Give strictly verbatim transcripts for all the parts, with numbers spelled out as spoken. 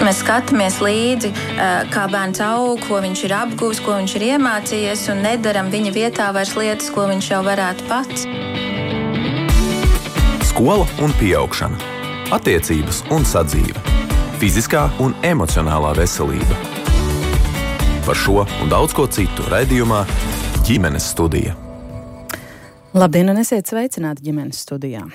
mēs skatāmies līdzi, kā bērns aug, ko viņš ir apguvis, ko viņš ir iemācījies, un nedaram viņa vietā vairs lietas, ko viņš jau varētu pats. Skola un pieaugšana, attiecības un sadzīve, fiziskā un emocionālā veselība. Par šo un daudz ko citu raidījumā Ģimenes studija. Labdien, un esiet sveicināti Ģimenes studijā.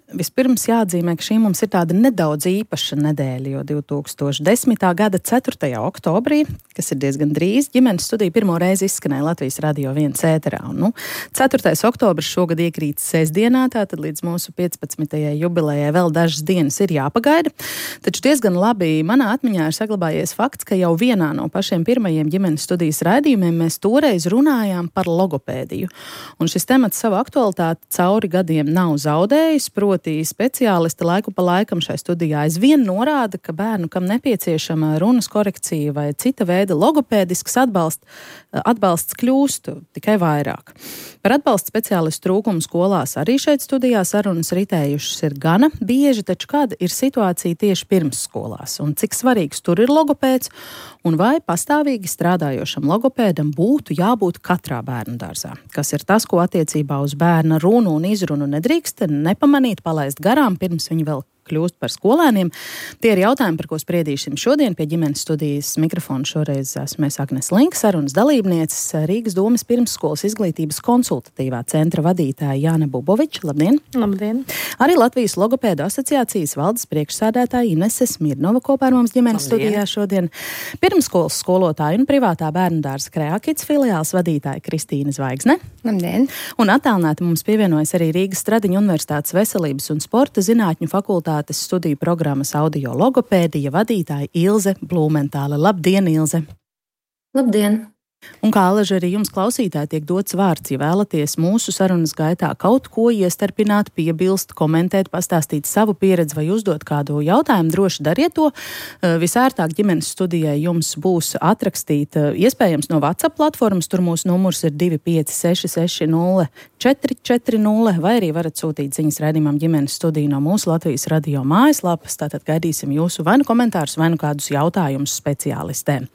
Vispirms jāatzīmē, ka šī mums ir tāda nedaudz īpaša nedēļa, jo divi tūkstoši desmitā gada ceturtajā oktobrī, kas ir diezgan drīz, Ģimenes studija pirmo reizi izskanēja Latvijas Radio viens ēterā. Un, nu, ceturtais oktobris šogad iekrīt sestdienā, tātad līdz mūsu piecpadsmitajai jubilejai vēl dažas dienas ir jāpagaida. Taču diezgan labi manā atmiņā ir saglabājies fakts, ka jau vienā no pašiem pirmajiem Ģimenes studijas raidījumiem mēs toreiz runājām par logopēdiju. Un šis temats savu aktualitāti cauri gadiem nav zaudējis, proti speciālisti laiku pa laikam šai studijā aizvien norāda, ka bērnu, kam nepieciešama runas korekcija vai cita veida logopēdisks atbalsts, atbalsts kļūst tikai vairāk. Par atbalsta speciālistu trūkumu skolās arī šeit studijā sarunas ritējušas ir gana bieži, taču kāda ir situācija tieši pirms skolās un cik svarīgs tur ir logopēds un vai pastāvīgi strādājošam logopēdam būtu jābūt katrā bērnu dārzā. Kas ir tas, ko attiecībā uz bērna runu un izrunu nedrīkst nepamanīt, palaist garām, pirms viņi vēl kļūst par skolēniem. Tie ir jautājumi, par ko spriedīsim šodien pie Ģimenes studijas mikrofona. Šoreiz esmu es Agnes Linka, sarunas dalībnieces, Rīgas domas pirmsskolas izglītības konsultatīvā centra vadītāja Jāna Buboviča. Labdien! Labdien! Arī Latvijas logopēdu asociācijas valdes priekšsēdētāja Inese Smirnova kopā ar mums Ģimenes Labdien. Studijā šodien. Pirmsskolas skolotāja un privātā bērnu dārza Kreakits filiāls vadītāja Kristīna Zvaigzne. Labdien! Un attālināti mums pievienojas arī Rīgas Stradiņu Universitātes veselības un sporta zinātņu fakultātes studiju programmas audio logopēdija vadītāja Ilze Blūmentāle. Labdien, Ilze! Labdien! Un kā alaži arī jums klausītāji tiek dots vārds, ja vēlaties mūsu sarunas gaitā kaut ko iestarpināt, piebilst, komentēt, pastāstīt savu pieredzi vai uzdot kādu jautājumu, droši dariet to. Visērtāk Ģimenes studijai jums būs atrakstīt iespējams no WhatsApp platformas, tur mūsu numurs ir divi pieci seši seši nulle četri četri nulle, vai arī varat sūtīt ziņas raidījumam Ģimenes studiju no mūsu Latvijas radio mājaslapas, tātad gaidīsim jūsu vai nu komentārus, vai nu kādus jautājumus speciālistēm.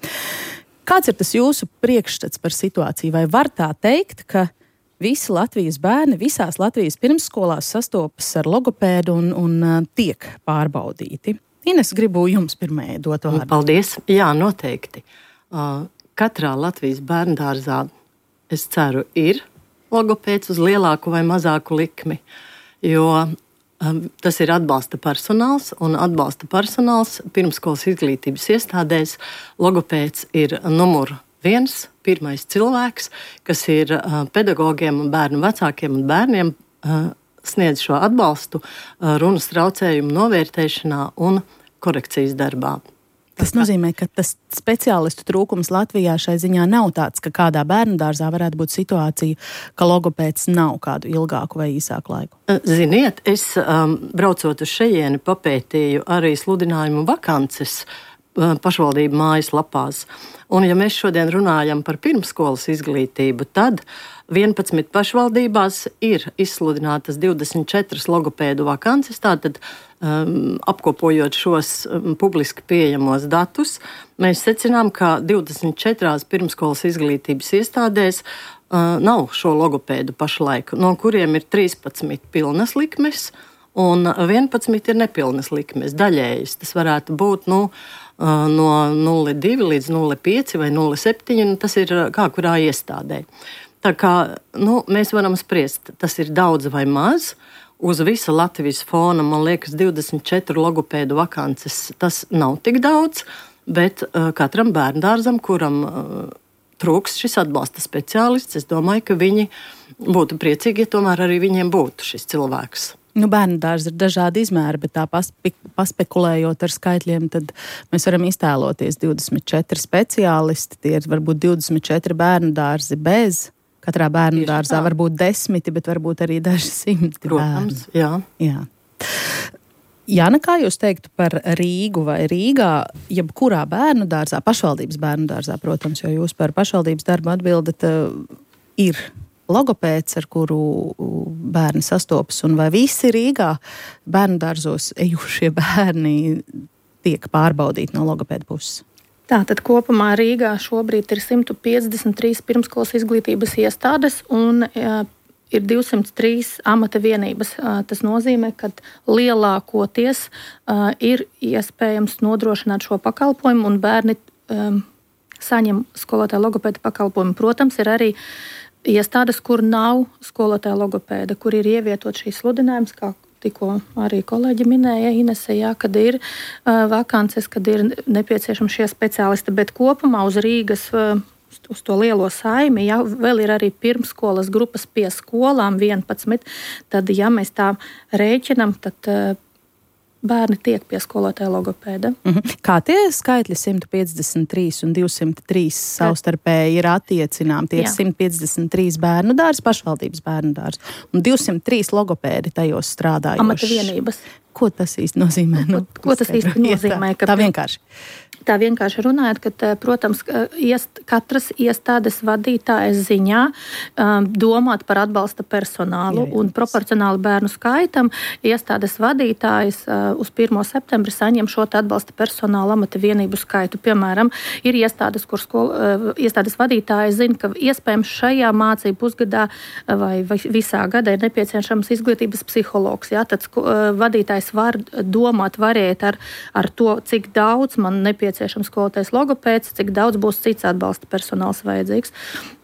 Kāds ir tas jūsu priekšstats par situāciju? Vai var tā teikt, ka visi Latvijas bērni visās Latvijas pirmsskolās sastopas ar logopēdu un, un tiek pārbaudīti? Ines, gribu jums pirmajai dot vārdu. Paldies! Jā, noteikti. Uh, katrā Latvijas bērndārzā, es ceru, ir logopēds uz lielāku vai mazāku likmi, jo tas ir atbalsta personāls, un atbalsta personāls pirmsskolas izglītības iestādēs. Logopēds ir numur viens, pirmais cilvēks, kas ir pedagogiem un bērnu vecākiem un bērniem sniedz šo atbalstu runas traucējumu novērtēšanā un korekcijas darbā. Tas nozīmē, ka tas speciālistu trūkums Latvijā šai ziņā nav tāds, ka kādā bērnu dārzā varētu būt situācija, ka logopēds nav kādu ilgāku vai īsāku laiku. Ziniet, es um, braucot uz šejieni papētīju arī sludinājumu vakances uh, pašvaldību mājaslapās. Un ja mēs šodien runājam par pirmsskolas izglītību, tad vienpadsmit pašvaldībās ir izsludinātas divdesmit četras logopēdu vakances, tātad um, apkopojot šos um, publiski pieejamos datus, mēs secinām, ka divdesmit četrās pirmsskolas izglītības iestādēs uh, nav šo logopēdu pašlaik, no kuriem ir trīspadsmit pilnas likmes un vienpadsmit ir nepilnas likmes, daļējas. Tas varētu būt, nu, uh, no nulle divi līdz nulle pieci vai nulle septiņi, un tas ir kā kurā iestādē. Tā kā nu, mēs varam spriest, tas ir daudz vai maz. Uz visa Latvijas fona, man liekas, divdesmit četru logopēdu vakances. Tas nav tik daudz, bet uh, katram bērndārzam, kuram uh, trūks šis atbalsta speciālists, es domāju, ka viņi būtu priecīgi, ja tomēr arī viņiem būtu šis cilvēks. Nu, bērnu dārzi ir dažādi izmēri, bet tā paspe, paspekulējot ar skaitļiem, tad mēs varam iztēloties divdesmit četri speciālisti, tie ir varbūt divdesmit četri bērnu dārzi bez. Katrā bērnu dārzā var būt desmiti, bet varbūt arī daži simti Protams, bērnu. Jā. Jā. Jāna, kā jūs teiktu par Rīgu vai Rīgā, jebkurā bērnu dārzā, pašvaldības bērnu dārzā, protams, jo jūs par pašvaldības darbu atbildat, ir logopēds, ar kuru bērni sastopas, un vai visi Rīgā bērnu dārzos ejušie bērni tiek pārbaudīti no logopēda puses? Tātad kopumā Rīgā šobrīd ir simt piecdesmit trīs pirmsskolas izglītības iestādes un jā, ir divsimt trīs amata vienības. Tas nozīmē, ka lielākoties uh, ir iespējams nodrošināt šo pakalpojumu un bērni um, saņem skolotāja logopēda pakalpojumu. Protams, ir arī iestādes, kur nav skolotāja logopēda, kur ir ievietot šīs sludinājums, kā tikko arī kolēģi minēja, Inese, jā, kad ir uh, vakances, kad ir nepieciešami šie speciālisti, bet kopumā uz Rīgas, uh, uz to lielo saimi, jā, vēl ir arī pirmsskolas grupas pie skolām vienpadsmit, tad, ja mēs tā rēķinam, tad uh, bērni tiek pie skolotāja logopēda. Mhm. Kā tie skaitļi simt piecdesmit trīs un divsimt trīs savstarpēji ir attiecināmi? Tie ir simt piecdesmit trīs bērnu dārzi, pašvaldības bērnu dārzi, un divsimt trīs logopēdi tajos strādājoši. Amata vienības. Ko tas īsti nozīmē? Nu, ko tas īsti nozīmē? Tā, tā vienkārši. Tā vienkārši runājot, ka, protams, iest, katras iestādes vadītājas ziņā um, domāt par atbalsta personālu. Jā, jā. Un proporcionāli bērnu skaitam iestādes vadītājas uh, uz pirmo septembri saņem šo atbalsta personāla amata vienību skaitu. Piemēram, ir iestādes, kur skol, uh, iestādes vadītāji zina, ka iespējams šajā mācību pusgadā vai, vai visā gadā ir nepieciešams izglītības psihologs. Jā, tad uh, vadītājs var domāt, variēt ar, ar to, cik daudz man nepieciešams skolotais logopēds, cik daudz būs cits atbalsta personāls vajadzīgs.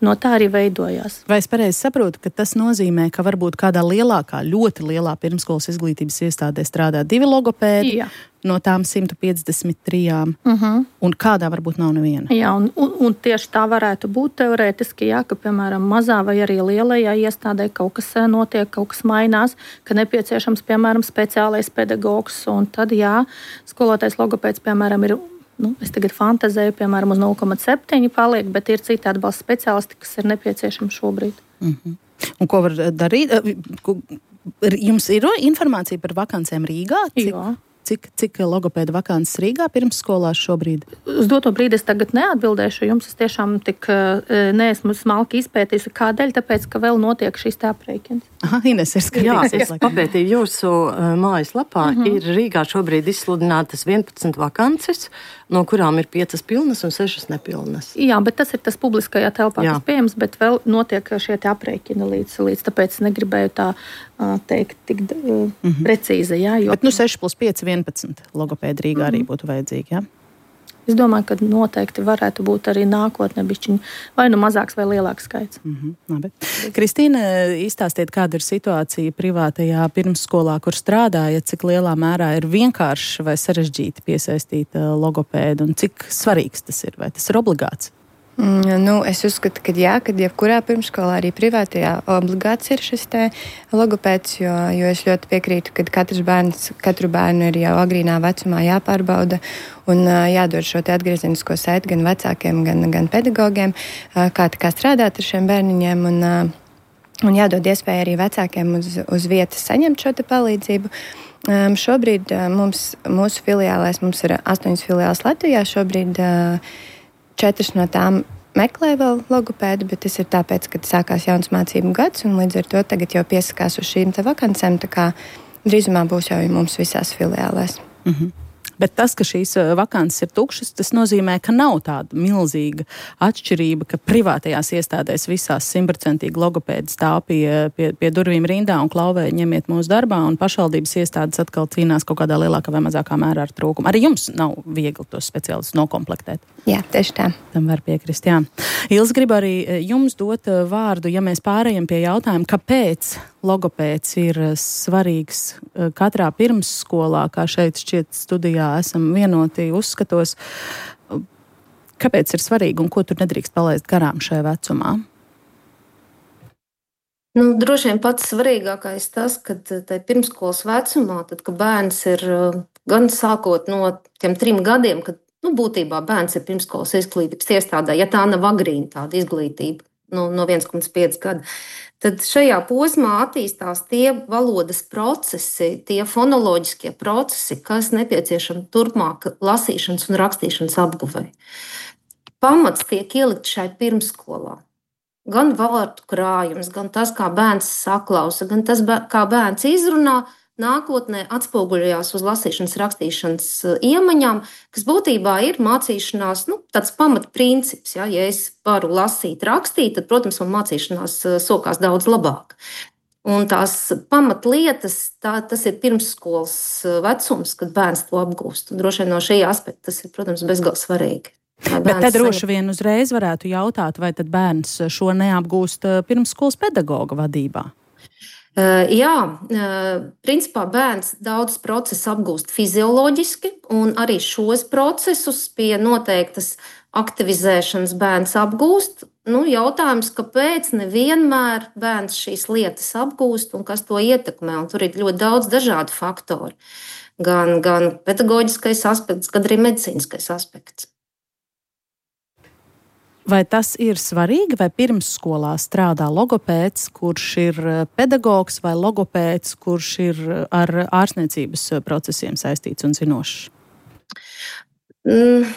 No tā arī veidojās. Vai es pareizi saprotu, ka tas nozīmē, ka varbūt kādā lielākā, ļoti lielā pirmskolas izglītības iestādē strādā divi logopēdi? Jā. No tām simt piecdesmit trijām, uh-huh. un kādā varbūt nav neviena. Jā, un, un, un tieši tā varētu būt teorētiski, jā, ka, piemēram, mazā vai arī lielajā iestādē kaut kas notiek, kaut kas mainās, ka nepieciešams, piemēram, speciālais pedagogs, un tad, jā, skolotājs logopēds, piemēram, ir, nu, es tagad fantazēju, piemēram, uz nulle komats septiņi paliek, bet ir citi atbalsta speciālisti, kas ir nepieciešami šobrīd. Uh-huh. Un ko var darīt? Jums ir informācija par vakancēm Rīgā? Cik? Jā. Cik, cik logopēda vakances Rīgā pirmsskolās šobrīd? Uz doto brīdi es tagad neatbildēšu jums. Es tiešām tik neesmu smalki izpētījusi. Kādēļ? Tāpēc, ka vēl notiek šīs tā aprēķins. Aha, Ines ir skatījusies. Jā, es papētīju jūsu uh, mājaslapā. Uh-huh. Ir Rīgā šobrīd izsludinātas vienpadsmit vakances, no kurām ir piecas pilnas un sešas nepilnas. Jā, bet tas ir tas publiskajā telpā, Jā. kas pieejams, bet vēl notiek šie te aprēķini līdz, līdz tāpēc negribēju tā uh, teikt tik uh, uh-huh. precīzi. Jā, jo... Bet nu seši plus pieci vienpadsmit logopēdi Rīgā uh-huh. arī būtu vajadzīgi, jā? Es domāju, ka noteikti varētu būt arī nākotnē bišķiņ vai nu mazāks vai lielāks skaits. Mm-hmm, labi. Kristīne, izstāstiet, kāda ir situācija privātajā pirmsskolā, kur strādājat, cik lielā mērā ir vienkārši vai sarežģīti piesaistīt logopēdu un cik svarīgs tas ir, vai tas ir obligāts? Mm, nu, es uzskatu, ka jā, kad jebkurā pirmsskolā, arī privātajā, obligāts ir šis te logopēds, jo, jo es ļoti piekrītu, ka katrs bērns, katru bērnu ir jau agrīnā vecumā jāpārbauda un uh, jādod šo te atgriezenisko saiti gan vecākiem, gan, gan pedagogiem, uh, kā, kā strādāt ar šiem bērniņiem un, uh, un jādod iespēja arī vecākiem uz, uz vietas saņemt šo te palīdzību. Um, šobrīd uh, mums, mūsu filiālēs, mums ir astoņas filiāles Latvijā, šobrīd uh, četras no tām meklē vēl logopēdu, bet tas ir tāpēc, ka sākās jauns mācību gads, un līdz ar to tagad jau piesakās uz šīm te vakancēm, tā kā drīzumā būs jau mums visās filiālēs. Mhm. Bet tas, ka šīs vakances ir tukšas, tas nozīmē, ka nav tāda milzīga atšķirība, ka privātajās iestādēs visās simtprocentīgi logopēdi stāv pie, pie, pie durvīm rindā un klauvē ņemiet mūsu darbā, un pašvaldības iestādes atkal cīnās kaut kādā lielākā vai mazākā mērā ar trūkumu. Arī jums nav viegli tos speciālistus nokomplektēt. Jā, tieši tā. Tam var piekrist, jā. Ils, gribu arī jums dot vārdu, ja mēs pārējam pie jautājuma, kāpēc logopēds ir svarīgs katrā pirmsskolā, kā šeit šķiet studijā esam vienoti uzskatos. Kāpēc ir svarīgi un ko tur nedrīkst palaist garām šajā vecumā? Nu, droši vien pats svarīgākais tas, ka tai pirmsskolas vecumā, tad, ka bērns ir gan sākot no tiem trim gadiem, kad nu, būtībā bērns ir pirmsskolas izglītības iestādē, ja tā nav agrīna tāda izglītība, nu, no viens komats pieci gadi, tad šajā posmā attīstās tie valodas procesi, tie fonoloģiskie procesi, kas nepieciešami turpmāk lasīšanas un rakstīšanas apguvei. Pamats tiek ielikt šai pirmsskolā. Gan vārdu krājums, gan tas, kā bērns saklausa, gan tas, kā bērns izrunā, nākotnē atspoguļojās uz lasīšanas, rakstīšanas iemaņām, kas būtībā ir mācīšanās nu, tāds pamatprincips. Ja, ja es varu lasīt, rakstīt, tad, protams, man mācīšanās sokās daudz labāk. Un tās pamatlietas, tā, tas ir pirmsskolas vecums, kad bērns to apgūst. Un droši vien no šī aspekta tas ir, protams, bezgalīgi svarīgi. Bet te droši vien uzreiz varētu jautāt, vai tad bērns šo neapgūst pirmsskolas pedagoga vadībā? Jā, principā bērns daudz procesu apgūst fizioloģiski, un arī šos procesus pie noteiktas aktivizēšanas bērns apgūst. Nu, jautājums, kāpēc nevienmēr bērns šīs lietas apgūst un kas to ietekmē, un tur ir ļoti daudz dažādu faktoru. Gan, gan pedagoģiskais aspekts, gan arī medicīniskais aspekts. Vai tas ir svarīgi, vai pirmsskolā strādā logopēds, kurš ir pedagogs, vai logopēds, kurš ir ar ārstniecības procesiem saistīts un zinošs? Mm.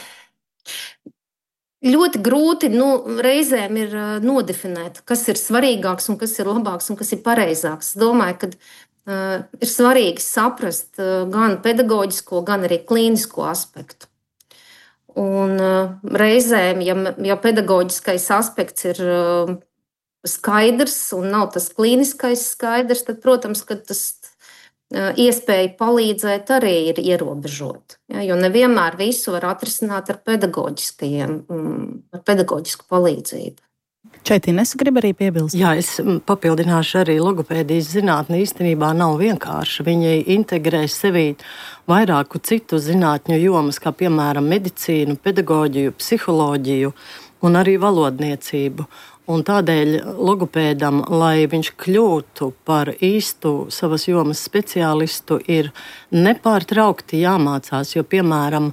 Ļoti grūti nu, reizēm ir nodefinēt, kas ir svarīgāks un kas ir labāks un kas ir pareizāks. Es domāju, ka uh, ir svarīgi saprast uh, gan pedagoģisko, gan arī klīnisko aspektu. Un uh, reizēm, ja, ja pedagoģiskais aspekts ir uh, skaidrs un nav tas klīniskais skaidrs, tad, protams, ka tas uh, iespēja palīdzēt arī ir ierobežota. Ja, jo nevienmēr visu var atrisināt ar pedagoģiskajiem, um, ar pedagoģisku palīdzību. Šeit Ines grib arī piebilst. Jā, es papildināšu arī logopēdijas zinātne īstenībā nav vienkārša. Viņi integrē sevī vairāku citu zinātņu jomas, kā piemēram medicīnu, pedagoģiju, psiholoģiju un arī valodniecību. Un tādēļ logopēdam, lai viņš kļūtu par īstu savas jomas speciālistu, ir nepārtraukti jāmācās, jo, piemēram,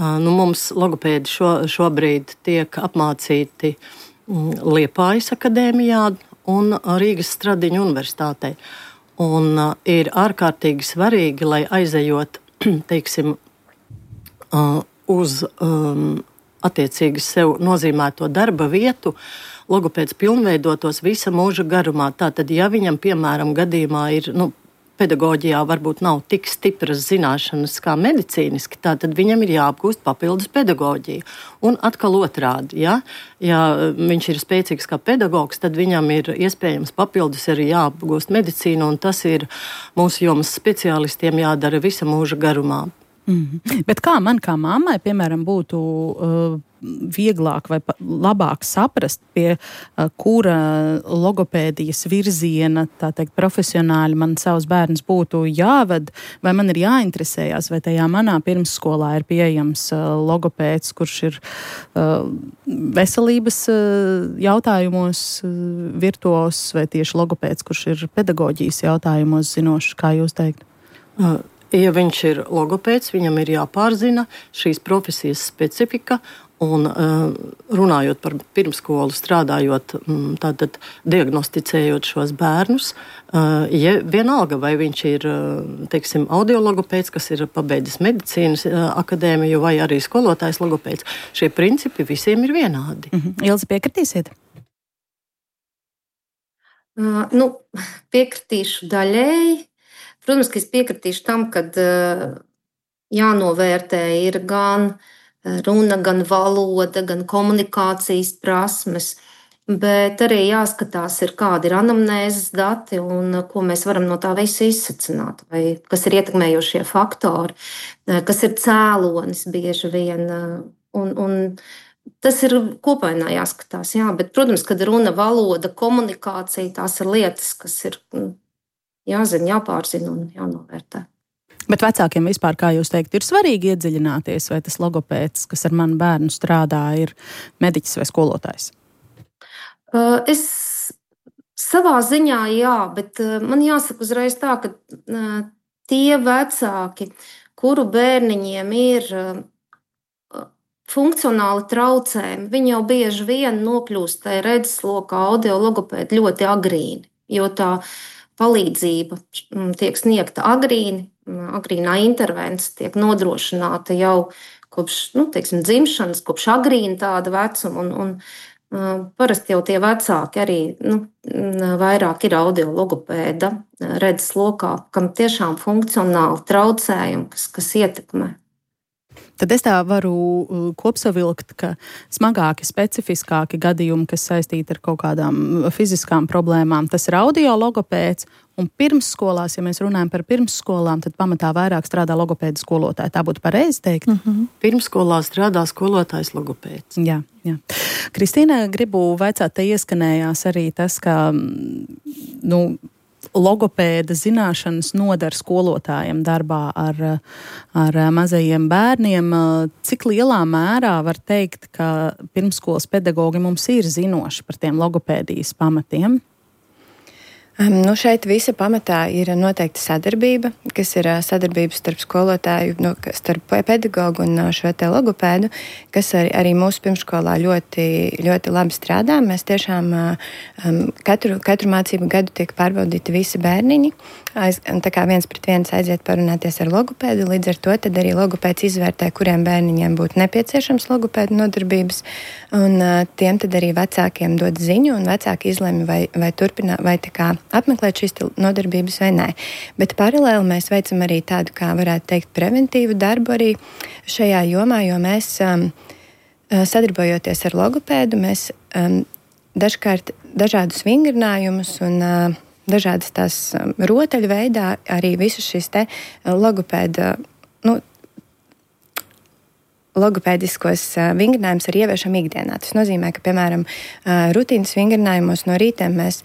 nu, mums logopēdi šo, šobrīd tiek apmācīti Liepājas akadēmijā un Rīgas Stradiņu universitātei. Un uh, ir ārkārtīgi svarīgi, lai aizejot, teiksim, uh, uz um, attiecīgi sev nozīmēto darba vietu, logopēds pilnveidotos visa mūža garumā. Tātad, ja viņam, piemēram, gadījumā ir, nu, pedagoģijā varbūt nav tik stipras zināšanas kā medicīniski, tātad viņam ir jāapgūst papildus pedagoģiju. Un atkal otrādi, ja, ja viņš ir spēcīgs kā pedagogs, tad viņam ir iespējams papildus arī jāapgūst medicīnu, un tas ir mūsu jomas speciālistiem jādara visa mūža garumā. Mm-hmm. Bet kā man, kā mammai, piemēram, būtu uh, vieglāk vai labāk saprast, pie uh, kura logopēdijas virziena, tā teikt, profesionāļi man savus bērnus būtu jāved, vai man ir jāinteresējās, vai tajā manā pirmsskolā ir pieejams uh, logopēds, kurš ir uh, veselības uh, jautājumos uh, virtuos, vai tieši logopēds, kurš ir pedagoģijas jautājumos zinošs, kā jūs teikt? Uh. Ja viņš ir logopēds, viņam ir jāpārzina šīs profesijas specifika, un runājot par pirmsskolu, strādājot, tātad diagnosticējot šos bērnus, ja vienalga, vai viņš ir, teiksim, audiologopēds, kas ir pabeidzis medicīnas akadēmiju, vai arī skolotājs logopēds, šie principi visiem ir vienādi. Mm-hmm. Ilze, piekritīsiet? Uh, nu, piekritīšu daļēji. Protams, ka es piekritīšu tam, ka jānovērtē ir gan runa, gan valoda, gan komunikācijas prasmes, bet arī jāskatās, ir, kādi ir anamnēzes dati un ko mēs varam no tā visa izsacināt, vai kas ir ietekmējošie faktori, kas ir cēlonis bieži vien. Un, un tas ir kopainā jāskatās, jā, bet, protams, kad runa, valoda, komunikācija, tās ir lietas, kas ir jāzina, jāpārzina un jānovērtē. Bet vecākiem vispār, kā jūs teikt, ir svarīgi iedziļināties, vai tas logopēds, kas ar manu bērnu strādā, ir mediķis vai skolotājs? Es savā ziņā jā, bet man jāsaka uzreiz tā, ka tie vecāki, kuru bērniņiem ir funkcionāli traucējumi, viņi jau bieži vien nokļūst tajā redzeslokā audiologopēdi ļoti agrīni, jo tā palīdzība tiek sniegta agrīni, agrīnā intervence tiek nodrošināta jau kopš, nu, teiksim, dzimšanas, kopš agrīna tāda vecuma. Un, un Parasti jau tie vecāki arī nu, vairāk ir audiologopēda redzes lokā, kam tiešām funkcionāli traucējumi, kas, kas ietekmē. Tad es tā varu kopsavilkt, ka smagāki, specifiskāki gadījumi, kas saistīti ar kaut kādām fiziskām problēmām, tas ir audiologopēds, un pirmsskolās, ja mēs runājam par pirmsskolām, tad pamatā vairāk strādā logopēda skolotāji. Tā būtu pareizi teikt? Mm-hmm. Pirmsskolā strādā skolotājs logopēds. Jā, jā. Kristīna, gribu vaicāt, te ieskanējās arī tas, ka, nu, logopēda zināšanas nodara skolotājiem darbā ar, ar mazajiem bērniem. Cik lielā mērā var teikt, ka pirmsskolas pedagogi mums ir zinoši par tiem logopēdijas pamatiem? Nu, šeit visa pamatā ir noteikta sadarbība, kas ir sadarbība starp skolotāju, nu, starp pedagogu un šo te logopēdu, kas arī, arī mūsu pirmsskolā ļoti, ļoti labi strādā. Mēs tiešām um, katru, katru mācību gadu tiek pārbaudīti visi bērniņi, aiz, tā kā viens pret viens aiziet parunāties ar logopēdu, līdz ar to tad arī logopēds izvērtē, kuriem bērniņiem būtu nepieciešams logopēdu nodarbības, un uh, tiem tad arī vecākiem dod ziņu, un vecāki izlemj, vai, vai turpināt, vai tā kā apmeklēt šīs nodarbības vai nē. Bet paralēli mēs veicam arī tādu, kā varētu teikt, preventīvu darbu arī šajā jomā, jo mēs, um, sadarbojoties ar logopēdu, mēs um, dažkārt dažādus vingrinājumus un uh, dažādas tās um, rotaļu veidā arī visus šīs te logopēda, nu, logopēdiskos uh, vingrinājumus arī ieviešam ikdienā. Tas nozīmē, ka, piemēram, uh, rutīnas vingrinājumos no rītiem mēs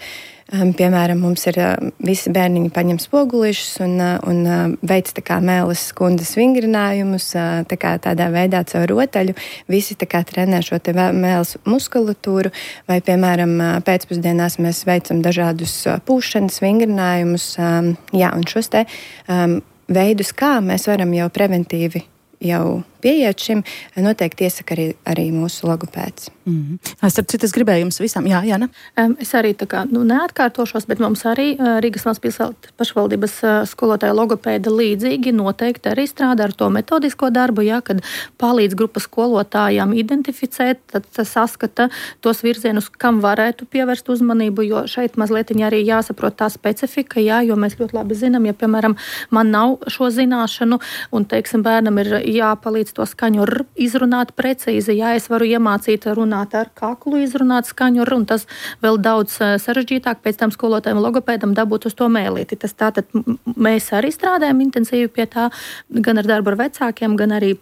Um, piemēram, mums ir uh, visi bērniņi paņem spogulīšus un, uh, un uh, veic tā kā mēles skundas vingrinājumus, uh, tā kā tādā veidā caur rotaļu. Visi tā kā trenē šo te mēles muskulatūru, vai, piemēram, uh, pēcpusdienās mēs veicam dažādus uh, pūšanas vingrinājumus. Um, jā, un šos te um, veidus, kā mēs varam jau preventīvi jau pieiet šim, noteikti iesaka arī, arī mūsu logopēds. Mm-hmm. Es, citu, es gribēju jums visam, jā, Jāna? Um, es arī tā kā, nu, neatkārtošos, bet mums arī uh, Rīgas valsts pašvaldības uh, skolotāja logopēda līdzīgi noteikti arī strādā ar to metodisko darbu, jā, kad palīdz grupas skolotājām identificēt, tad saskata tos virzienus, kam varētu pievērst uzmanību, jo šeit mazliet arī jāsaprot tā specifika, jā, jo mēs ļoti labi zinām, ja, piemēram, man nav šo zināšanu un, teiksim, bērnam ir jāpalīdz to skaņu r izrunāt precīzi. Jā, es varu iemācīt runāt ar kaklu, izrunāt skaņu r, un tas vēl daudz sarežģītāk pēc tam skolotājiem logopēdam dabūt uz to mēlīti. Tas tātad mēs arī strādājam intensīvi pie tā, gan ar darbu ar vecākiem, gan arī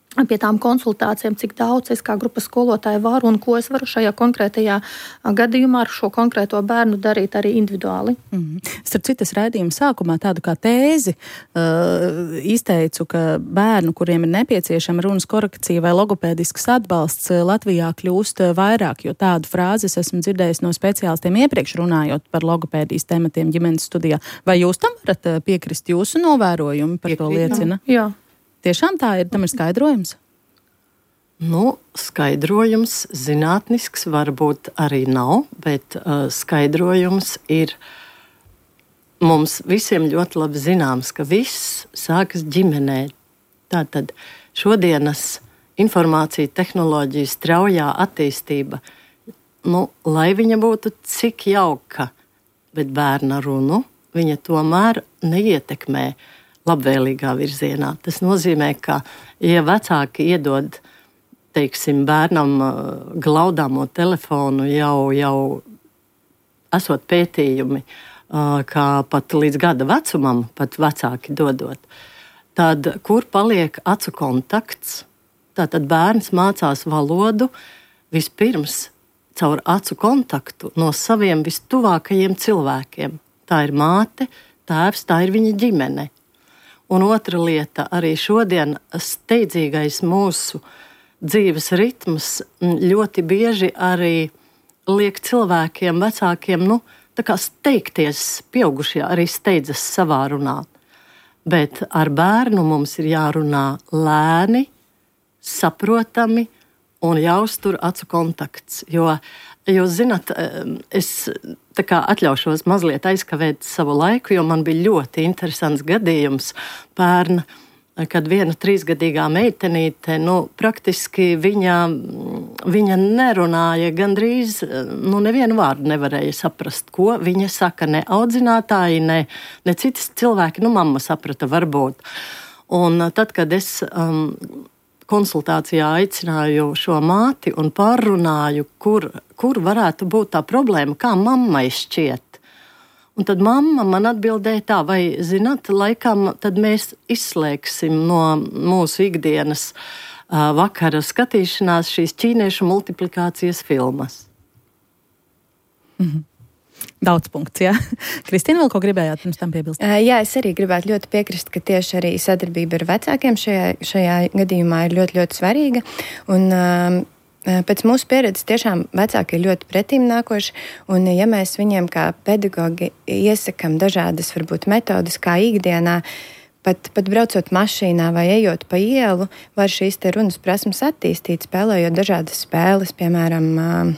pie tām konsultācijām, cik daudz es kā grupas skolotāja varu un ko es varu šajā konkrētajā gadījumā ar šo konkrēto bērnu darīt arī individuāli. Mm-hmm. Starp citas raidījuma sākumā tādu kā tēzi uh, izteicu, ka bērnu, kuriem ir nepieciešama runas korekcija vai logopēdisks atbalsts, Latvijā kļūst vairāk, jo tādu frāzi es esmu dzirdējis no speciālistiem iepriekš runājot par logopēdijas tematiem ģimenes studijā. Vai jūs tam varat piekrist? Jūsu novērojumi par Piekrīt. To liecina? Jā. Tiešām tā ir, tam ir skaidrojums? Nu, skaidrojums zinātnisks varbūt arī nav, bet uh, skaidrojums ir mums visiem ļoti labi zināms, ka viss sākas ģimenē. Tātad šodienas informācija tehnoloģija straujā attīstība, nu, lai viņa būtu cik jauka, bet bērna runu viņa tomēr neietekmē labvēlīgā virzienā. Tas nozīmē, ka, ja vecāki iedod, teiksim, bērnam glaudāmo telefonu jau, jau esot pētījumi, kā pat līdz gada vecumam pat vecāki dodot, tad kur paliek acu kontakts? Tātad bērns mācās valodu vispirms caur acu kontaktu no saviem vistuvākajiem cilvēkiem. Tā ir māte, tēvs, tā ir viņa ģimene. Un otra lieta, arī šodien steidzīgais mūsu dzīves ritms ļoti bieži arī liek cilvēkiem, vecākiem, nu, tā kā steigties, pieaugušie arī steidzas savā runā. Bet ar bērnu mums ir jārunā lēni, saprotami un jāuztur acu kontakts. Jo, jūs zināt, es tā kā atļaušos mazliet aizkavēt savu laiku, jo man bija ļoti interesants gadījums pērn, kad viena trīsgadīgā meitenīte, nu, praktiski viņa viņa nerunāja gandrīz, nu, nevienu vārdu nevarēja saprast, ko viņa saka, ne audzinātāji, ne, ne citas cilvēki, nu, mamma saprata varbūt. Un tad, kad es um, konsultācijā aicināju šo māti un pārrunāju, kur, kur varētu būt tā problēma, kā mammai šķiet. Un tad mamma man atbildēja tā, vai, zināt, laikam tad mēs izslēgsim no mūsu ikdienas uh, vakara skatīšanās šīs ķīniešu multiplikācijas filmas. Mm-hmm. Daudz punkts, jā. Kristīna, vēl ko gribējāt pirms tam piebilst? Jā, es arī gribētu ļoti piekrist, ka tieši arī sadarbība ar vecākiem šajā, šajā gadījumā ir ļoti, ļoti svarīga. Un, um, Pēc mūsu pieredzes tiešām vecāki ir ļoti pretīm nākoši, un ja mēs viņiem kā pedagogi iesakam dažādas varbūt metodas, kā ikdienā, pat, pat braucot mašīnā vai ejot pa ielu, var šīs te runas prasmes attīstīt, spēlējot dažādas spēles, piemēram,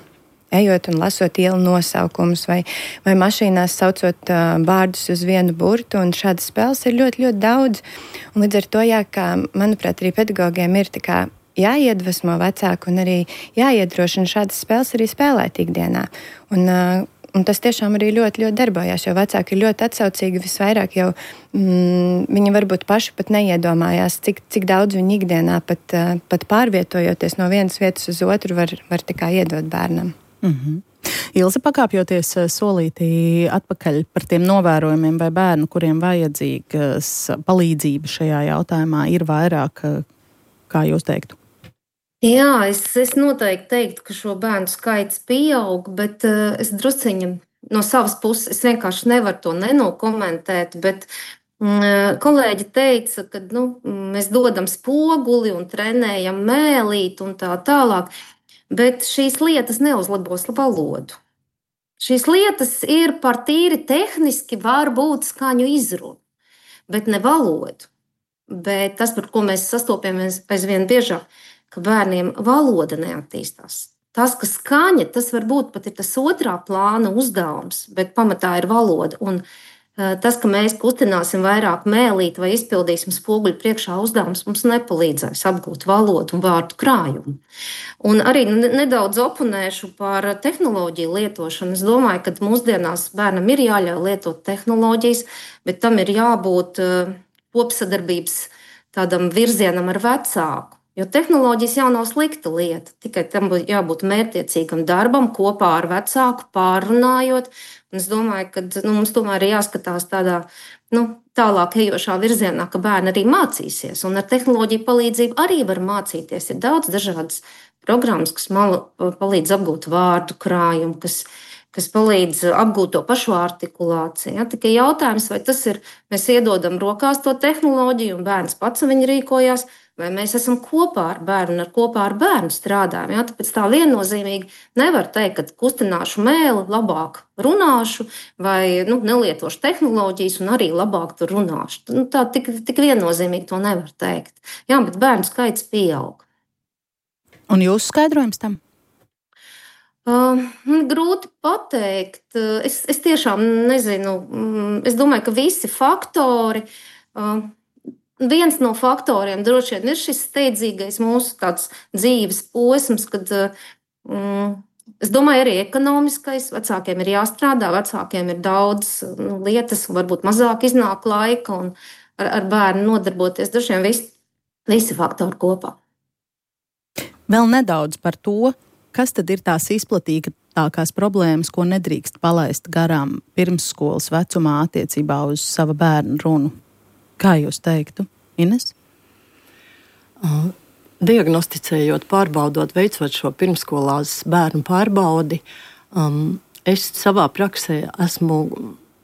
ejot un lasot ielu nosaukumus vai, vai mašīnās saucot vārdus uz vienu burtu, un šādas spēles ir ļoti, ļoti daudz. Un līdz ar to, jā, kā, manuprāt, arī pedagogiem ir tā kā jāiedvesmo vecāku un arī jāiedrošina šādas spēles arī spēlēt ikdienā. Un, uh, un tas tiešām arī ļoti, ļoti darbojās, jo vecāki ir ļoti atsaucīgi, visvairāk jau mm, viņi varbūt paši pat neiedomājās, cik, cik daudz viņi ikdienā pat, uh, pat pārvietojoties no vienas vietas uz otru var, var tikai iedot bērnam. Mm-hmm. Ilze, pakāpjoties solītī atpakaļ par tiem novērojumiem vai bērnu, kuriem vajadzīgas palīdzība šajā jautājumā ir vairāk, kā jūs teiktu? Jā, es, es noteikti teiktu, ka šo bērnu skaits pieaug, bet uh, es drusciņi no savas puses, es vienkārši nevaru to nenokomentēt, bet um, kolēģi teica, ka nu, mēs dodam spoguli un trenējam mēlīt un tā tālāk, bet šīs lietas neuzlabos valodu. Šīs lietas ir par tīri tehniski var būt skaņu izrunu, bet ne valodu. Bet tas, par ko mēs sastopamies aizvien biežāk, ka bērniem valoda neattīstās. Tas, ka skaņa, tas varbūt pat ir tas otrā plāna uzdevums, bet pamatā ir valoda. Un uh, tas, ka mēs kustināsim vairāk mēlīt vai izpildīsim spoguļu priekšā uzdevums, mums nepalīdzēs apgūt valodu un vārdu krājumu. Un arī nedaudz oponēšu par tehnoloģiju lietošanu. Es domāju, ka mūsdienās bērnam ir jāļauj lietot tehnoloģijas, bet tam ir jābūt uh, kopsadarbības tādam virzienam ar vecāku. Jo tehnoloģijas jau nav slikta lieta, tikai tam jābūt mērķtiecīgam darbam kopā ar vecāku, pārrunājot. Un es domāju, ka nu, mums tomēr ir jāskatās tādā nu, tālāk ejošā virzienā, ka bērni arī mācīsies. Un ar tehnoloģiju palīdzību arī var mācīties. Ir daudz dažādas programmas, kas man palīdz apgūt vārdu krājumu, kas kas palīdz apgūt to pašu artikulāciju. Ja? Tikai jautājums, vai tas ir, mēs iedodam rokās to tehnoloģiju un bērns pats viņi rīkojās, vai mēs esam kopā ar bērnu un ar kopā ar bērnu strādājam. Ja? Tāpēc tā viennozīmīgi nevar teikt, ka kustināšu mēli, labāk runāšu vai nu, nelietošu tehnoloģijas un arī labāk tur runāšu. Nu, tā tik, tik viennozīmīgi to nevar teikt. Jā, bet bērnu skaits pieaug. Un jūsu skaidrojums tam? Uh, grūti pateikt. Es, es tiešām nezinu. Es domāju, ka visi faktori, uh, viens no faktoriem droši vien ir šis steidzīgais mūsu tāds dzīves posms, kad uh, es domāju arī ekonomiskais. Vecākiem ir jāstrādā, vecākiem ir daudz nu, lietas, varbūt mazāk iznāk laika un ar, ar bērnu nodarboties. Droši vien visi, visi faktori kopā. Vēl nedaudz par to, kas tad ir tās izplatītākās problēmas, ko nedrīkst palaist garām pirmsskolas vecumā attiecībā uz sava bērnu runu? Kā jūs teiktu, Ines? Uh, diagnosticējot, pārbaudot, veicot šo pirmskolās bērnu pārbaudi, um, es savā praksē esmu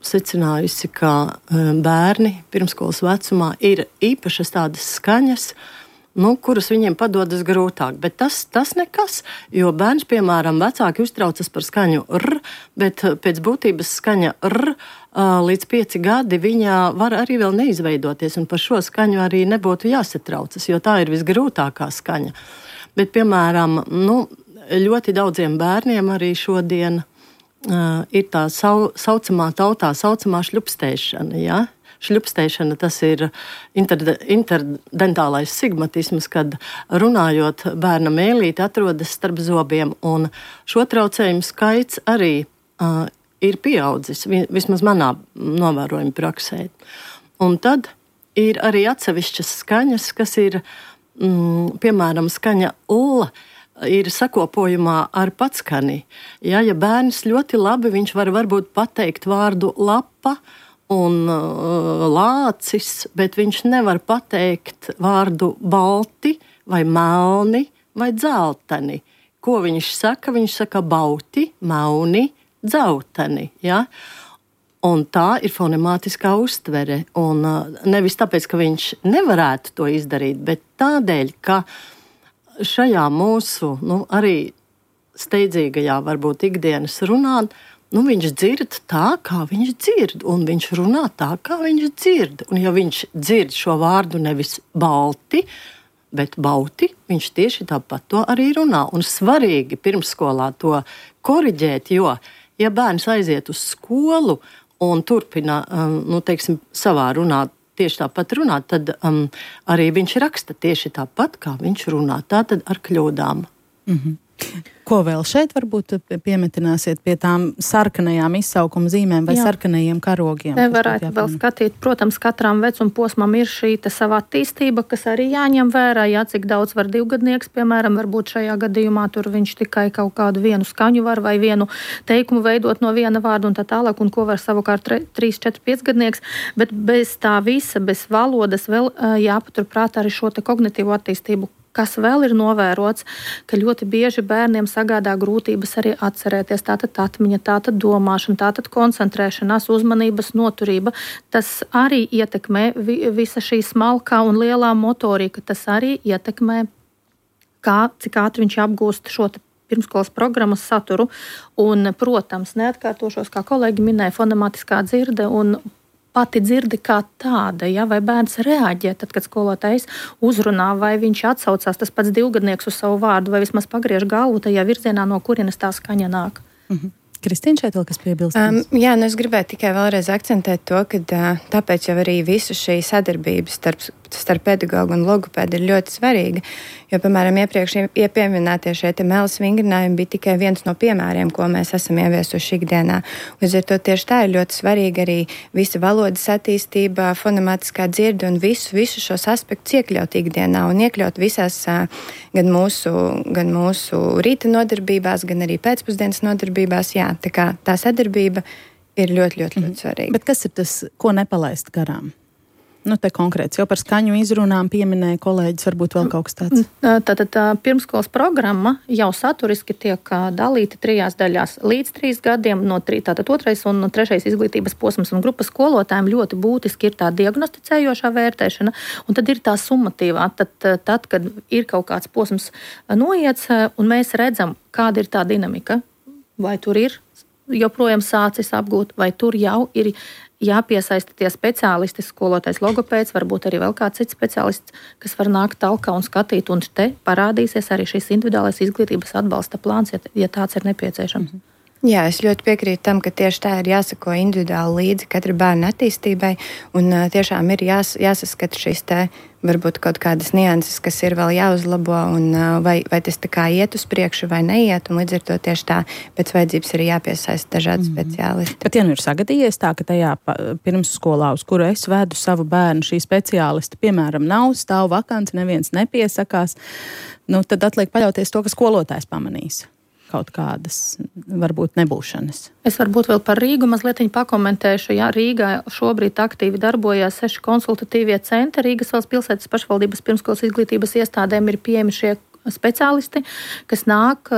secinājusi, ka um, bērni pirmskolas vecumā ir īpašas tādas skaņas, nu, kuras viņiem padodas grūtāk. Bet tas, tas nekas, jo bērns, piemēram, vecāki uztraucas par skaņu r, bet pēc būtības skaņa r līdz pieci gadi viņa var arī vēl neizveidoties, un par šo skaņu arī nebūtu jāsatraucas, jo tā ir visgrūtākā skaņa. Bet, piemēram, nu, ļoti daudziem bērniem arī šodien uh, ir tā sau, saucamā tautā saucamā šļupstēšana, ja? šļupstēšana, tas ir inter, interdentālais sigmatisms, kad runājot bērna mēlīte atrodas starp zobiem, un šo traucējumu skaits arī uh, ir pieaudzis, vismaz manā novērojuma praksē. Un tad ir arī atsevišķas skaņas, kas ir, mm, piemēram, skaņa L, ir sakopojumā ar patskani. Ja, ja bērns ļoti labi, viņš var varbūt pateikt vārdu lapa un uh, lācis, bet viņš nevar pateikt vārdu balti vai melni vai dzelteni. Ko viņš saka? Viņš saka bauti, mauni, dzelteni. Ja? Un tā ir fonemātiskā uztvere. Un uh, nevis tāpēc, ka viņš nevarētu to izdarīt, bet tādēļ, ka šajā mūsu, nu, arī steidzīgajā, varbūt ikdienas runā, nu, viņš dzird tā, kā viņš dzird, un viņš runā tā, kā viņš dzird. Un ja viņš dzird šo vārdu nevis balti, bet bauti, viņš tieši tāpat to arī runā. Un svarīgi pirmsskolā to koriģēt, jo, ja bērns aiziet uz skolu un turpina, um, nu, teiksim, savā runā, tieši tāpat runāt, tad um, arī viņš raksta tieši tāpat, kā viņš runā, tātad ar kļūdām. Mm-hmm. Ko vēl šeit varbūt piemetināsiet pie tām sarkanajām izsaukuma zīmēm vai Jā. sarkanajiem karogiem? Te varētu vēl skatīt, protams, katram vecuma posmam ir šī savā attīstība, kas arī jāņem vērā, jā, cik daudz var divgadnieks, piemēram, varbūt šajā gadījumā tur viņš tikai kaut kādu vienu skaņu var vai vienu teikumu veidot no viena vārda un tā tālāk, un ko var savukārt trīs, četri, pieci gadnieks, bet bez tā visa, bez valodas vēl jāpaturprāt arī šo te kognitīvo attīstību. Kas vēl ir novērots, ka ļoti bieži bērniem sagādā grūtības arī atcerēties, tātad atmiņa, tātad domāšana, tātad koncentrēšanās, uzmanības noturība. Tas arī ietekmē visa šī smalkā un lielā motorika, tas arī ietekmē, kā, cik ātri viņš apgūst šo pirmskolas programmas saturu. Un, protams, neatkārtošos, kā kolēģi minēja, fonemātiskā dzirde un pati dzirdi kā tāda, ja, vai bērns reaģē, tad, kad skolotājs uzrunā, vai viņš atsaucās tas pats divgadnieks uz savu vārdu, vai vismaz pagriež galvu tajā virzienā, no kurienes tā skaņa nāk. Mhm. Kristīna, šeit vēl kas piebilst? Um, jā, nu es gribētu tikai vēlreiz akcentēt to, ka uh, tāpēc jau arī visu šī sadarbības starp, starp pedagogu un logopēdu ir ļoti svarīga, jo, piemēram, iepriekš iepieminētie šie te mēles vingrinājumi bija tikai viens no piemēriem, ko mēs esam ieviesuši ikdienā. Līdz ar to tieši tā ir ļoti svarīga arī visa valodas attīstība, fonemātiskā dzirde un visu, visu šos aspektus iekļaut ikdienā un iekļaut visās uh, gan mūsu, gan mūsu rīta nodarbībās, gan arī pēcpusdienas nodarbībās. Jā, tā kā tā sadarbība ir ļoti, ļoti, ļoti svarīga. Bet kas ir tas, ko nepalaist garām? Nu, te konkrēts, jau par skaņu izrunām pieminēja kolēģis, varbūt vēl kaut kas tāds. Tātad tā, pirmskolas programma jau saturiski tiek dalīta trijās daļās. Līdz trīs gadiem, no trī, tātad otrais un trešais izglītības posms un grupas skolotājiem ļoti būtiski ir tā diagnosticējošā vērtēšana, un tad ir tā summatīvā. Tad, tad, kad ir kaut kāds posms noiets, un mēs redzam, kāda ir tā dinamika, vai tur ir joprojām sācis apgūt, vai tur jau ir jāpiesaista tie speciālisti, skolotājs, logopēds, varbūt arī vēl kāds cits speciālists, kas var nākt talkā un skatīt, un te parādīsies arī šis individuālais izglītības atbalsta plāns, ja, ja tāds ir nepieciešams. Mm-hmm. Jā, es ļoti piekrītu tam, ka tieši tā ir jāsako individuāli līdzi katra bērna attīstībai, un uh, tiešām ir jās, jāsaskata šīs te varbūt kaut kādas nianses, kas ir vēl jāuzlabo, un uh, vai, vai tas tā kā iet uz priekšu vai neiet, un līdz ar to tieši tā pēc vajadzības arī jāpiesaista dažādi mm. speciālisti. Tad, ja nu ir sagadījies tā, ka tajā pirmsskolā, uz kuru es vedu savu bērnu, šī speciālista, piemēram, nav, stāv vakants, neviens nepiesakās, nu tad atliek paļauties to, ka skolotājs pamanīs kaut kādas, varbūt nebūšanas. Es varbūt vēl par Rīgu mazliet pakomentēšu. Jā, Rīgā šobrīd aktīvi darbojās seši konsultatīvie centri. Rīgas valsts pilsētas pašvaldības pirmskolas izglītības iestādēm ir pieejami šie speciālisti, kas nāk,